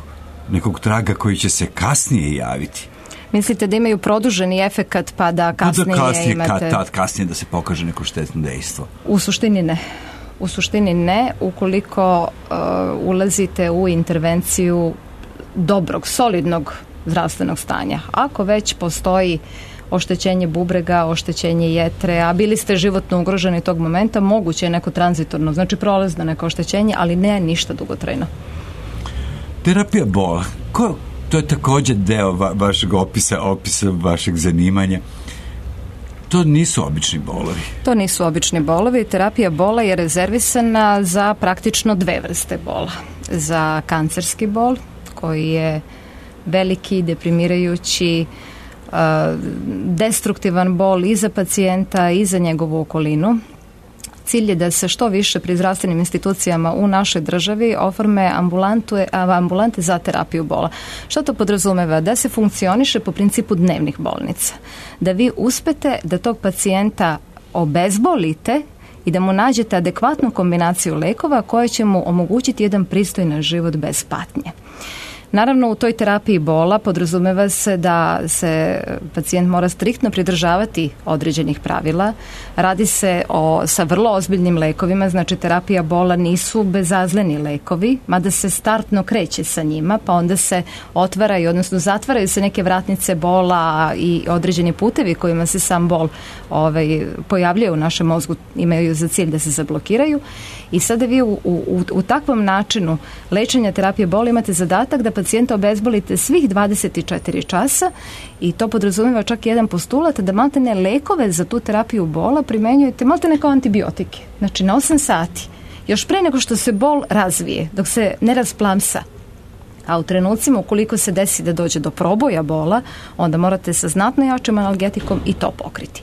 nekog traga koji će se kasnije javiti? Mislite da imaju produženi efekat pa da kasnije, da kasnije imate... Kad, tad, kasnije da se pokaže neko štetno dejstvo? U suštini ne. U suštini ne, ukoliko uh, ulazite u intervenciju dobrog, solidnog zdravstvenog stanja. Ako već postoji oštećenje bubrega, oštećenje jetre, a bili ste životno ugroženi tog momenta, moguće je neko tranzitorno, znači prolazno neko oštećenje, ali ne ništa dugotrajno. Terapija bola, ko, to je također deo va, vašeg opisa, opisa vašeg zanimanja. To nisu obični bolovi. To nisu obični bolovi. Terapija bola je rezervisana za praktično dve vrste bola. Za kancerski bol, koji je veliki, deprimirajući, destruktivan bol i za pacijenta i za njegovu okolinu. Cilj je da se što više pri zdravstvenim institucijama u našoj državi oforme ambulante za terapiju bola. Što to podrazumeva? Da se funkcioniše po principu dnevnih bolnica. Da vi uspete da tog pacijenta obezbolite i da mu nađete adekvatnu kombinaciju lekova koja će mu omogućiti jedan pristojan život bez patnje. Naravno, u toj terapiji bola podrazumeva se da se pacijent mora striktno pridržavati određenih pravila. Radi se o, sa vrlo ozbiljnim lekovima, znači terapija bola nisu bezazleni lekovi, mada se startno kreće sa njima, pa onda se otvaraju, odnosno zatvaraju se neke vratnice bola i određeni putevi kojima se sam bol ovaj, pojavljuje u našem mozgu, imaju za cilj da se zablokiraju. I sada vi u, u, u takvom načinu lečenja terapije bola imate zadatak da pacijenta obezbolite svih dvadeset četiri časa i to podrazumijeva čak jedan postulat da maltene lekove za tu terapiju bola primenjujete maltene kao antibiotike. Znači na osam sati. Još pre nego što se bol razvije, dok se ne rasplamsa. A u trenucima ukoliko se desi da dođe do proboja bola, onda morate sa znatno jačim analgetikom i to pokriti.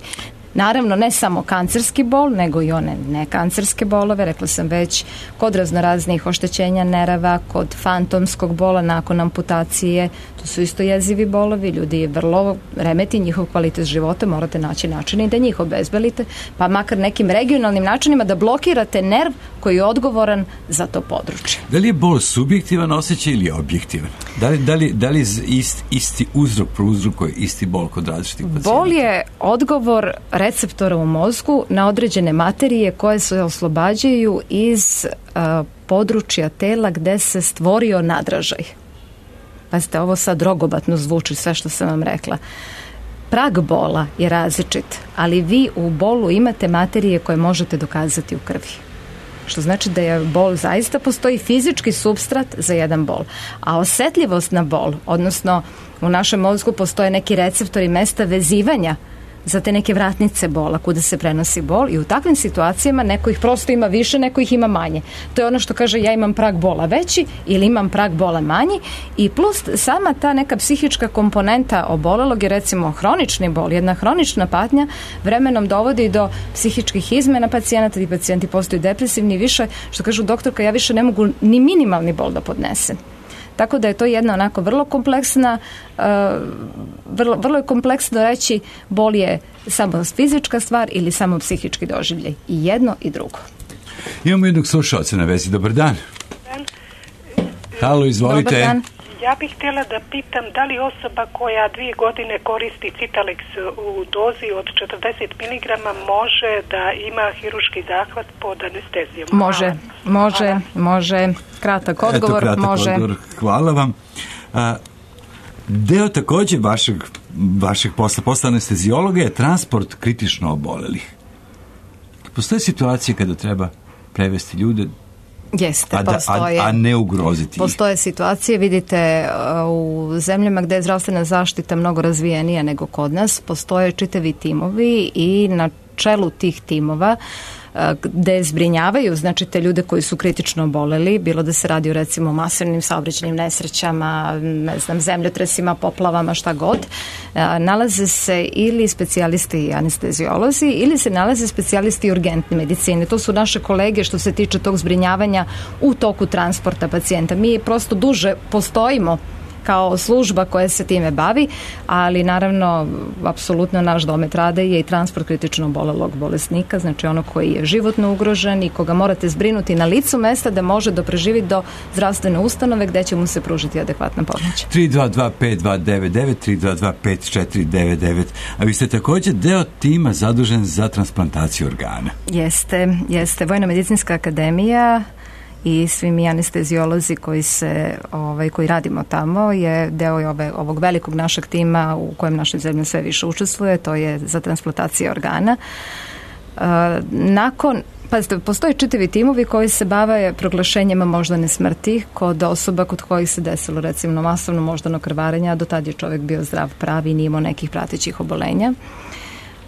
Naravno, ne samo kancerski bol, nego i one nekancerske bolove, rekla sam već, kod raznoraznih oštećenja nerava, kod fantomskog bola nakon amputacije, to su isto jezivi bolovi, ljudi vrlo remeti njihov kvalitet života, morate naći načine da njih obezbelite, pa makar nekim regionalnim načinima da blokirate nerv koji je odgovoran za to područje. Da li je bol subjektivan osjećaj ili objektivan? Da li, da li, da li ist, isti uzrok prouzrokuje isti bol kod različitih pacijenta? Bol je odgovor receptora u mozgu na određene materije koje se oslobađaju iz uh, područja tela gde se stvorio nadražaj. Pazite, ovo sad rogobatno zvuči sve što sam vam rekla. Prag bola je različit, ali vi u bolu imate materije koje možete dokazati u krvi. Što znači da je bol zaista postoji fizički supstrat za jedan bol. A osjetljivost na bol, odnosno u našem mozgu postoje neki receptori mesta vezivanja za te neke vratnice bola kuda se prenosi bol i u takvim situacijama neko ih prosto ima više, neko ih ima manje. To je ono što kaže ja imam prag bola veći ili imam prag bola manji i plus sama ta neka psihička komponenta obolelog je recimo hronični bol, jedna hronična patnja vremenom dovodi do psihičkih izmena pacijenata i pacijenti postaju depresivni i više, što kažu doktorka, ja više ne mogu ni minimalni bol da podnesem. Tako da je to jedna onako vrlo kompleksna, uh, vrlo, vrlo je kompleksno reći bol je samo fizička stvar ili samo psihički doživljaj. I jedno i drugo. Imamo jednog slušalca na vezi. Dobar dan. Dan. Halo, izvolite. Dobar dan. Ja bih htjela da pitam da li osoba koja dvije godine koristi Citaleks u dozi od četrdeset miligrama može da ima hiruški zahvat pod anestezijom? Može, može, Hvala. može. Kratak odgovor, Eto, kratak može. Odgovor. Hvala vam. A, deo također vašeg, vašeg posla, posla anestezijologa je transport kritično obolelih. Postoje situacije kada treba prevesti ljude Jeste, a, da, postoje, a, a ne ugroziti. Postoje situacije, vidite, u zemljama gdje je zdravstvena zaštita mnogo razvijenija nego kod nas, postoje čitavi timovi i na čelu tih timova gde zbrinjavaju, znači te ljude koji su kritično oboleli, bilo da se radi o recimo masovnim saobraćajnim nesrećama, ne znam, zemljotresima, poplavama, šta god, nalaze se ili specijalisti anestezijolozi ili se nalaze specijalisti urgentne medicine. To su naše kolege što se tiče tog zbrinjavanja u toku transporta pacijenta. Mi prosto duže postojimo kao služba koja se time bavi, ali naravno apsolutno naš domet rada je i transport kritično obolelog bolesnika, znači ono koji je životno ugrožen i koga morate zbrinuti na licu mesta da može da preživi do zdravstvene ustanove gde će mu se pružiti adekvatna pomoć. tri dva dva pet dva devet devet, tri dva dva pet četiri devet devet. A vi ste također deo tima zadužen za transplantaciju organa. Jeste, jeste. Vojno-medicinska akademija i svi mi anesteziolozi koji se ovaj koji radimo tamo je deo ove, ovog velikog našeg tima u kojem naša zemlja sve više učestvuje, to je za transplantaciju organa. E, nakon Pazite, postoje čitavi timovi koji se bave proglašenjima moždane smrti kod osoba kod kojih se desilo recimo masovno moždano krvarenje, a do tad je čovjek bio zdrav, pravi i nije imao nekih pratećih obolenja.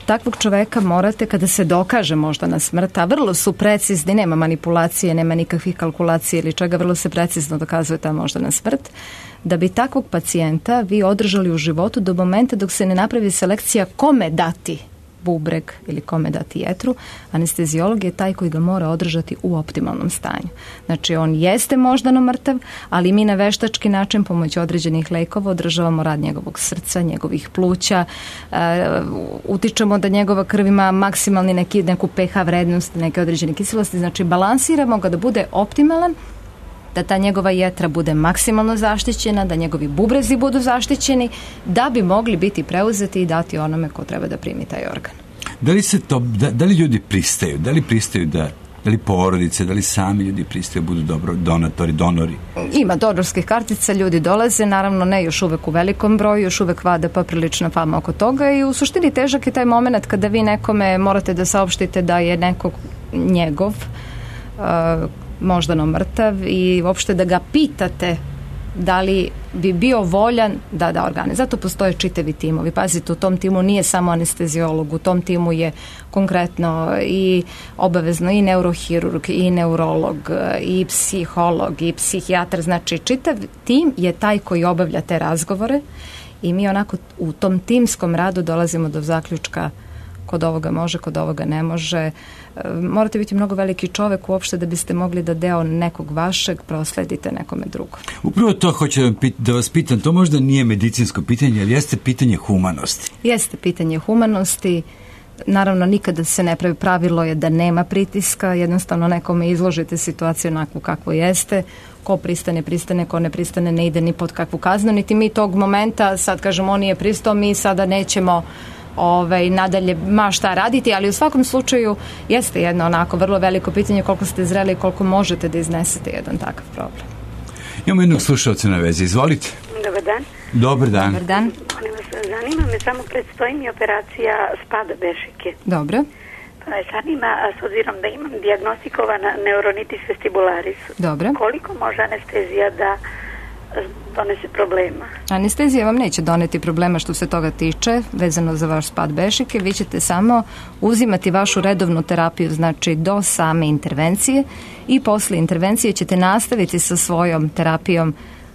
Takvog čoveka morate, kada se dokaže moždana smrt, a vrlo su precizni, nema manipulacije, nema nikakvih kalkulacija ili čega, vrlo se precizno dokazuje ta moždana smrt, da bi takvog pacijenta vi održali u životu do momenta dok se ne napravi selekcija kome dati bubreg ili kome dati jetru, anesteziolog je taj koji ga mora održati u optimalnom stanju. Znači, on jeste moždano mrtav, ali mi na veštački način pomoću određenih lekova održavamo rad njegovog srca, njegovih pluća, uh, utičemo da njegova krv ima maksimalni neki, neku pH vrednost, neke određene kiselosti, znači balansiramo ga da bude optimalan, da ta njegova jetra bude maksimalno zaštićena, da njegovi bubrezi budu zaštićeni, da bi mogli biti preuzeti i dati onome ko treba da primi taj organ. Da li se to, da, da li ljudi pristaju? Da li pristaju da, da li porodice, da li sami ljudi pristaju budu dobro donatori, donori? Ima donorskih kartica, ljudi dolaze, naravno ne još uvek u velikom broju, još uvek vada pa prilična fama oko toga i u suštini težak je taj moment kada vi nekome morate da saopštite da je nekog njegov uh, moždano mrtav i uopšte da ga pitate da li bi bio voljan da da organe. Zato postoje čitavi timovi. Pazite, u tom timu nije samo anesteziolog, u tom timu je konkretno i obavezno i neurohirurg, i neurolog, i psiholog, i psihijatar. Znači, čitav tim je taj koji obavlja te razgovore i mi onako u tom timskom radu dolazimo do zaključka kod ovoga može, kod ovoga ne može. Morate biti mnogo veliki čovek uopšte da biste mogli da deo nekog vašeg prosledite nekome drugom. Upravo to hoću da vas pitam, to možda nije medicinsko pitanje, ali jeste pitanje humanosti. Jeste pitanje humanosti. Naravno, nikada se ne pravi, pravilo je da nema pritiska, jednostavno nekome izložite situaciju onakvu kakvo jeste, ko pristane, pristane, ko ne pristane, ne ide ni pod kakvu kaznu, niti mi tog momenta, sad kažemo, on nije pristao, mi sada nećemo Ovaj, nadalje ma šta raditi, ali u svakom slučaju jeste jedno onako vrlo veliko pitanje koliko ste zreli i koliko možete da iznesete jedan takav problem. Imamo jednog slušalca na vezi, izvolite. Dobar dan. Dobar dan. Dobar dan. Zanima me, samo predstoji mi operacija spada bešike. Dobro. Pa me zanima, s obzirom da imam dijagnostikovan neuronitis vestibularis. Dobro. Koliko može anestezija da donese problema? Anestezija vam neće doneti problema što se toga tiče, vezano za vaš spad bešike. Vi ćete samo uzimati vašu redovnu terapiju, znači do same intervencije, i posle intervencije ćete nastaviti sa svojom terapijom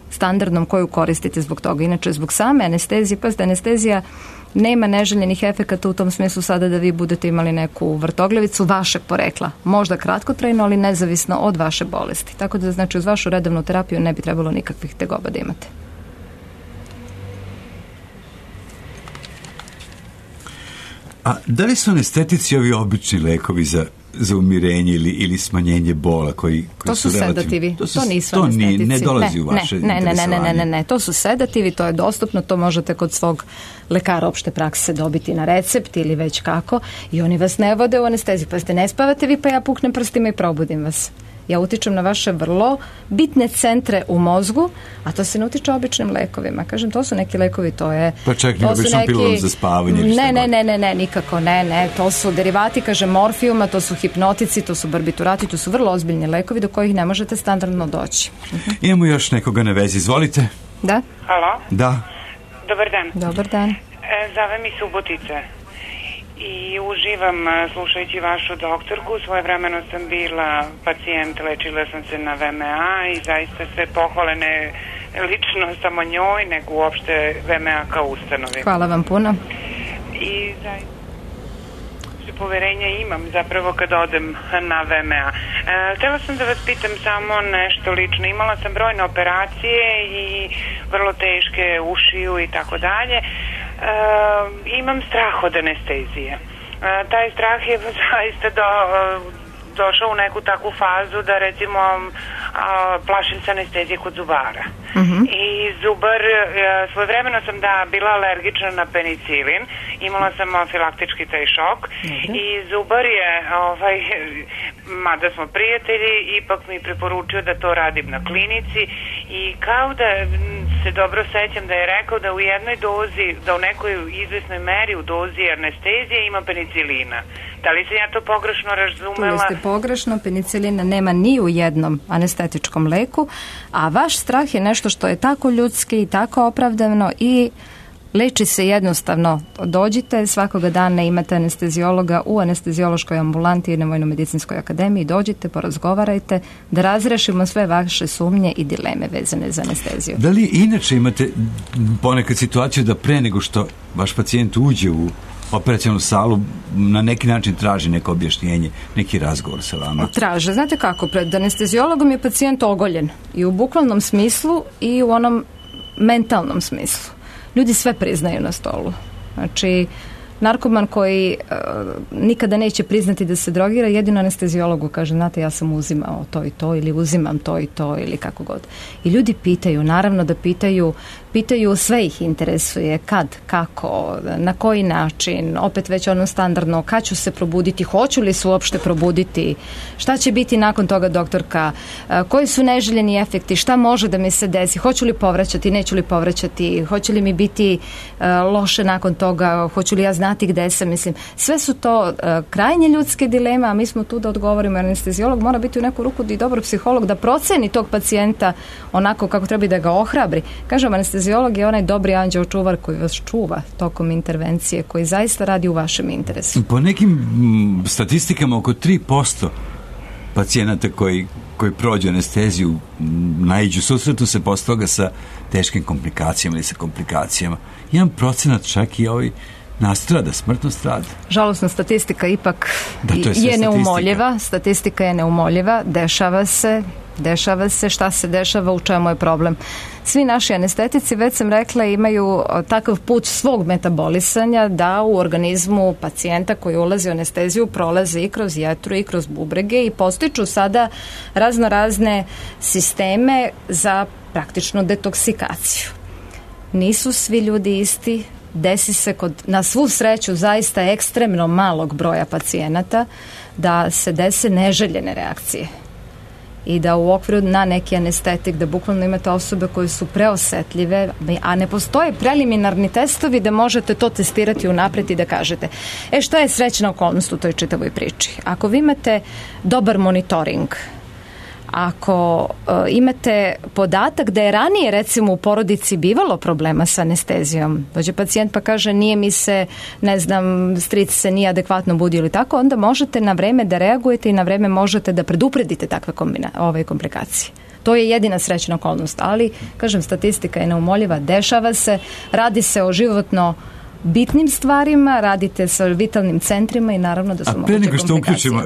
standardnom koju koristite zbog toga. Inače, zbog same anestezije, pa anestezija nema neželjenih efekata u tom smislu sada da vi budete imali neku vrtogljevicu vašeg porekla. Možda kratkotrajno, ali nezavisno od vaše bolesti. Tako da, znači, uz vašu redovnu terapiju ne bi trebalo nikakvih tegoba da imate. A da li su anestetici ovi obični lekovi za, za umirenje ili, ili smanjenje bola koji, koji to su, su sedativi, to, su, to nisu to anestetici. Ni, ne dolazi ne, u vaše ne, ne, ne, ne, ne, ne, ne, to su sedativi, to je dostupno, to možete kod svog lekara opšte prakse dobiti na recept ili već kako i oni vas ne vode u anesteziju, pa ste ne spavate vi pa ja puknem prstima i probudim vas. Ja utičem na vaše vrlo bitne centre u mozgu, a to se ne utiče običnim lekovima. Kažem, to su neki lekovi, to je... Pa čak ne običnom neki... pilulom za spavanje. Ne, ne, ne, ne, ne, nikako, ne, ne. To su derivati, kažem, morfijuma, to su hipnotici, to su barbiturati, to su vrlo ozbiljni lekovi do kojih ne možete standardno doći. Uh-huh. Imamo još nekoga na vezi, izvolite. Da. Halo? Da. Dobar dan. Dobar dan. E, zove mi Subotica. I uživam slušajući vašu doktorku. Svojevremeno sam bila pacijent, lečila sam se na V M A i zaista sve pohvale ne lično samo njoj, nego uopšte V M A kao ustanovi. Hvala vam puno. I zaista... opšte poverenja imam zapravo kad odem na V M A. E, htjela sam da vas pitam samo nešto lično. Imala sam brojne operacije i vrlo teške ušiju i tako dalje. E, imam strah od anestezije. E, taj strah je zaista do, došao u neku takvu fazu da recimo a, plašim se anestezije kod zubara. Uh-huh. I zubar, svojevremeno sam da bila alergična na penicilin, imala sam afilaktički taj šok. Uh-huh. I zubar je, ovaj, mada smo prijatelji, ipak mi preporučio da to radim na klinici i kao da se dobro sećam da je rekao da u jednoj dozi, da u nekoj izvesnoj meri u dozi anestezije ima penicilina. Da li sam ja to pogrešno razumela? Tu ste pogrešno, penicilina nema ni u jednom anestetičkom leku, a vaš strah je nešto što je tako ljudski i tako opravdano i leči se jednostavno. Dođite, svakoga dana imate anesteziologa u anesteziološkoj ambulanti i na Vojno-medicinskoj akademiji, dođite, porazgovarajte, da razrešimo sve vaše sumnje i dileme vezane za anesteziju. Da li inače imate ponekad situaciju da pre nego što vaš pacijent uđe u operacijalnu salu na neki način traži neko objašnjenje, neki razgovor sa vama? Traže. Znate kako, pred anesteziologom je pacijent ogoljen i u bukvalnom smislu i u onom mentalnom smislu. Ljudi sve priznaju na stolu. Znači, narkoman koji uh, nikada neće priznati da se drogira, jedino anesteziologu kaže, znate, ja sam uzimao to i to ili uzimam to i to ili kako god. I ljudi pitaju, naravno da pitaju, pitaju, sve ih interesuje, kad, kako, na koji način, opet već ono standardno, kad ću se probuditi, hoću li se uopšte probuditi, šta će biti nakon toga doktorka, koji su neželjeni efekti, šta može da mi se desi, hoću li povraćati, neću li povraćati, hoće li mi biti uh, loše nakon toga, hoću li ja znati gde sam, mislim, sve su to uh, krajnje ljudske dileme, a mi smo tu da odgovorimo, jer anesteziolog mora biti u neku ruku i dobar psiholog da proceni tog pacijenta onako kako treba i da ga ohrabri. Kažem, anesteziolog je onaj dobri anđeo čuvar koji vas čuva tokom intervencije, koji zaista radi u vašem interesu. Po nekim m, statistikama oko tri posto pacijenata koji, koji prođu anesteziju naiđu, susretu se posle toga sa teškim komplikacijama ili sa komplikacijama. Jedan procenat čak i ovaj nastrada, smrtno strada. Žalosna statistika ipak da, je, je neumoljiva. Statistika je neumoljiva, dešava se, dešava se, šta se dešava, u čemu je problem. Svi naši anestetici, već sam rekla, imaju takav put svog metabolisanja da u organizmu pacijenta koji ulazi u anesteziju prolaze i kroz jetru i kroz bubrege i postiču sada razno razne sisteme za praktičnu detoksikaciju. Nisu svi ljudi isti, desi se kod, na svu sreću, zaista ekstremno malog broja pacijenata da se dese neželjene reakcije i da u okviru na neki anestetik, da bukvalno imate osobe koje su preosetljive, a ne postoje preliminarni testovi da možete to testirati unapred i da kažete, e šta je srećna okolnost u toj čitavoj priči? Ako vi imate dobar monitoring, ako uh, imate podatak da je ranije recimo u porodici bivalo problema sa anestezijom, dođe pacijent pa kaže nije mi se, ne znam, stric se nije adekvatno budio ili tako, onda možete na vreme da reagujete i na vreme možete da predupredite takve kombina, ove komplikacije. To je jedina srećna okolnost, ali, kažem, statistika je neumoljiva, dešava se, radi se o životno bitnim stvarima, radite sa vitalnim centrima i naravno da su moguće komplikacije. A pre nego što uključimo,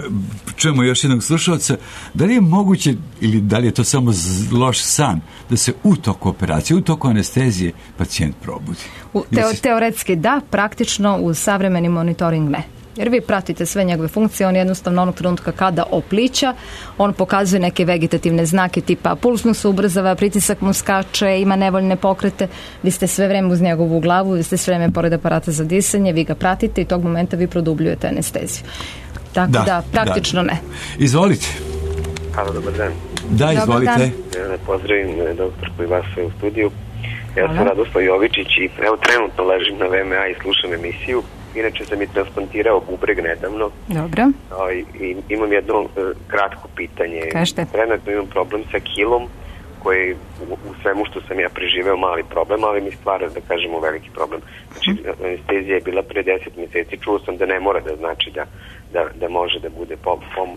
čujemo još jednog slušalca, da li je moguće ili da li je to samo loš san da se u toku operacije, u toku anestezije pacijent probudi? U, teo, teoretski da, praktično u savremeni monitoring ne. Jer vi pratite sve njegove funkcije, on jednostavno onog trenutka kada oplića, on pokazuje neke vegetativne znake tipa puls mu se ubrzava, pritisak mu skače, ima nevoljne pokrete, vi ste sve vreme uz njegovu glavu, vi ste sve vreme pored aparata za disanje, vi ga pratite i tog momenta vi produbljujete anesteziju. Tako da, da praktično da. ne. Izvolite. Halo, dobar dan. Da, izvolite. Ja pozdravim doktorku i vas sve u studiju. Ja sam Radoslav Jovičić i evo trenutno ležim na V M A i slušam emisiju. Inače sam i transplantirao bubreg nedavno. Dobro. O, i, i imam jedno uh, kratko pitanje. Kažete. Trenutno imam problem sa kilom koji u, u svemu što sam ja preživeo mali problem, ali mi stvara, da kažemo, veliki problem. Znači, mm. anestezija je bila pre deset mjeseci, čuo sam da ne mora da znači da, da, da može da bude pom, pom,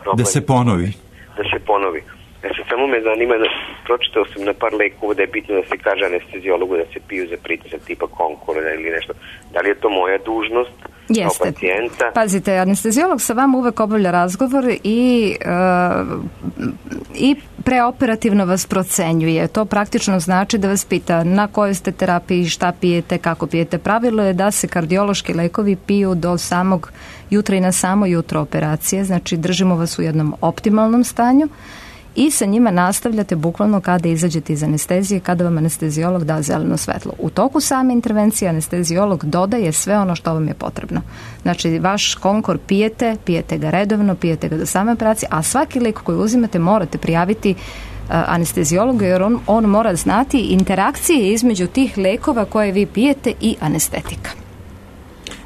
problem. Da se ponovi. Da se ponovi. Znači, samo me zanima, da pročitao sam na par lekova da je bitno da se kaže anesteziologu da se piju za pritisak tipa Konkorda ili nešto. Da li je to moja dužnost Jeste. kao pacijenta. Pazite, anesteziolog sa vama uvek obavlja razgovor i, uh, i preoperativno vas procenjuje. To praktično znači da vas pita na kojoj ste terapiji, šta pijete, kako pijete. Pravilo je da se kardiološki lekovi piju do samog jutra i na samo jutro operacije, znači držimo vas u jednom optimalnom stanju i sa njima nastavljate bukvalno kada izađete iz anestezije, kada vam anesteziolog da zeleno svetlo. U toku same intervencije anesteziolog dodaje sve ono što vam je potrebno. Znači, vaš konkor pijete, pijete ga redovno, pijete ga do same operacije, a svaki lek koji uzimate morate prijaviti anesteziologu jer on, on mora znati interakcije između tih lekova koje vi pijete i anestetika.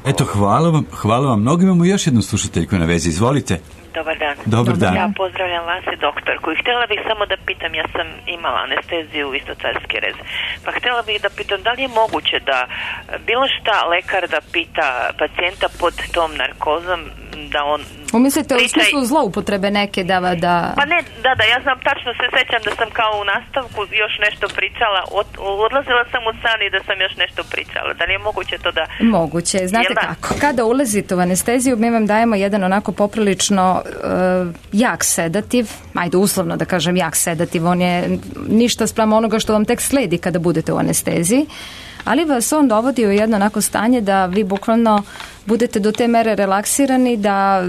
Eto, hvala vam, hvala vam mnogo. Imamo još jednu slušateljku na vezi. Izvolite. Dobar dan. Dobar dan. Ja pozdravljam vas i doktorku. I htjela bih samo da pitam, ja sam imala anesteziju, isto carski rez. Pa htjela bih da pitam, da li je moguće da bilo šta lekar da pita pacijenta pod tom narkozom, da on umislite priča... u smislu zloupotrebe neke da... da... Pa ne, da, da, ja znam, tačno se sećam da sam kao u nastavku još nešto pričala, od, odlazila sam u san i da sam još nešto pričala. Da li je moguće to da... Moguće, znate kako? Kada ulazite u anesteziju, mi vam dajemo jedan onako poprilično uh, jak sedativ, ajde uslovno da kažem jak sedativ, on je ništa spram onoga što vam tek sledi kada budete u anesteziji, ali vas on dovodi u jedno onako stanje da vi bukvalno budete do te mere relaksirani da,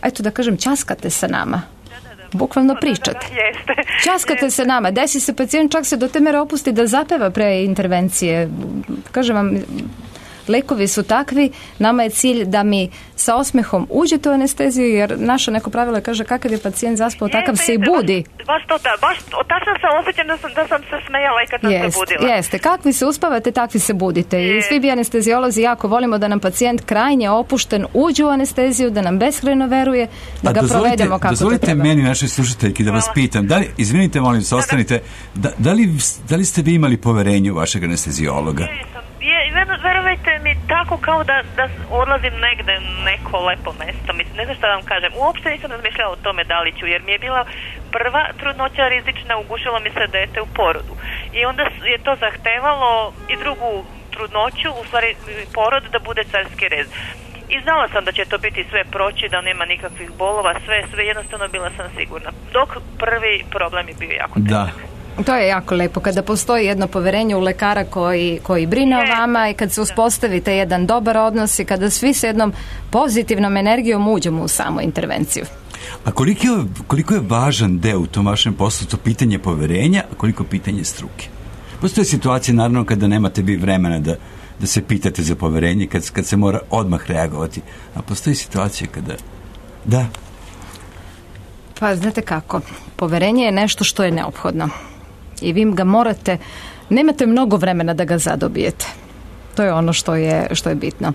eto da kažem, ćaskate sa nama. Bukvalno pričate. Ćaskate se nama. Desi se pacijent čak se do te mere opusti da zapeva pre intervencije. Kažem vam, lekovi su takvi, nama je cilj da mi sa osmehom uđete u anesteziju, jer naša neko pravilo kaže kakav je pacijent zaspao, takav se i budi. Baš to, da, baš tačno sam osjećam da sam, da sam se smejala i kad sam Jest, se budila. Jeste, kakvi se uspavate, takvi se budite. I svi bi anesteziolozi jako volimo da nam pacijent krajnje opušten uđe u anesteziju, da nam beskrajno veruje, da A ga dozvolite, provedemo kako dozvolite to treba. meni, našoj slušateljki, da vas pitam, da li, izvinite, molim se, ostanite, da, da, li, da li ste vi imali poverenje u vašeg anesteziologa? Je, verovajte mi, tako kao da, da odlazim negde neko lepo mesto, mislim, ne znam šta da vam kažem, uopšte nisam razmišljala o tome da li ću, jer mi je bila prva trudnoća rizična, ugušilo mi se dete u porodu i onda je to zahtevalo i drugu trudnoću, u stvari porod, da bude carski rez. I znala sam da će to biti sve proći, da nema nikakvih bolova, sve, sve, jednostavno bila sam sigurna. Dok prvi problem je bio jako težak. Da. To je jako lepo, kada postoji jedno poverenje u lekara koji, koji brine o vama i kad se uspostavite jedan dobar odnos i kada svi s jednom pozitivnom energijom uđemo u samu intervenciju. A koliko je, koliko je važan deo u tom vašem poslu to pitanje poverenja, a koliko pitanje struke? Postoje situacije, naravno, kada nemate vi vremena da, da se pitate za poverenje, kad, kad se mora odmah reagovati. A postoji situacije kada... Da. Pa, znate kako, poverenje je nešto što je neophodno. I vi ga morate, nemate mnogo vremena da ga zadobijete. To je ono što je, što je bitno.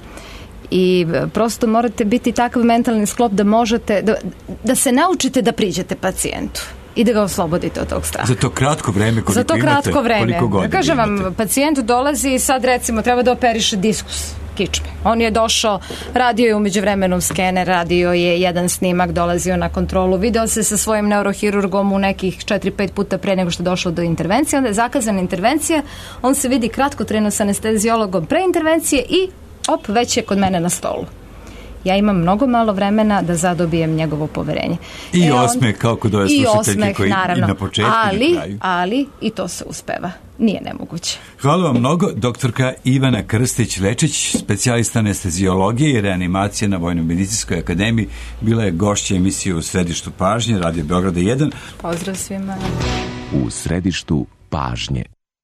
I prosto morate biti takav mentalni sklop da možete, da, da se naučite da priđete pacijentu i da ga oslobodite od tog straha. Za to kratko vreme koliko Za to kratko imate, vreme. koliko godina Da kažem vam, imate. pacijent dolazi i sad recimo treba da operiše diskus kičme. On je došao, radio je umeđu vremenu skener, radio je jedan snimak, dolazio na kontrolu, video se sa svojim neurohirurgom u nekih četiri pet puta pre nego što je došlo do intervencije, onda je zakazana intervencija, on se vidi kratko trenu sa anesteziologom pre intervencije i op, već je kod mene na stolu. Ja imam mnogo malo vremena da zadobijem njegovo poverenje. I e osmeh on, kao kod ove slušateljke koji naravno, i na početku ali, i na kraju. ali i to se uspeva. Nije nemoguće. Hvala vam mnogo, doktorka Ivana Krstić-Lečić, specijalista anesteziologije i reanimacije na Vojno-medicinskoj akademiji, bila je gošća emisije U središtu pažnje, Radio Beograda jedan. Pozdrav svima. U središtu pažnje.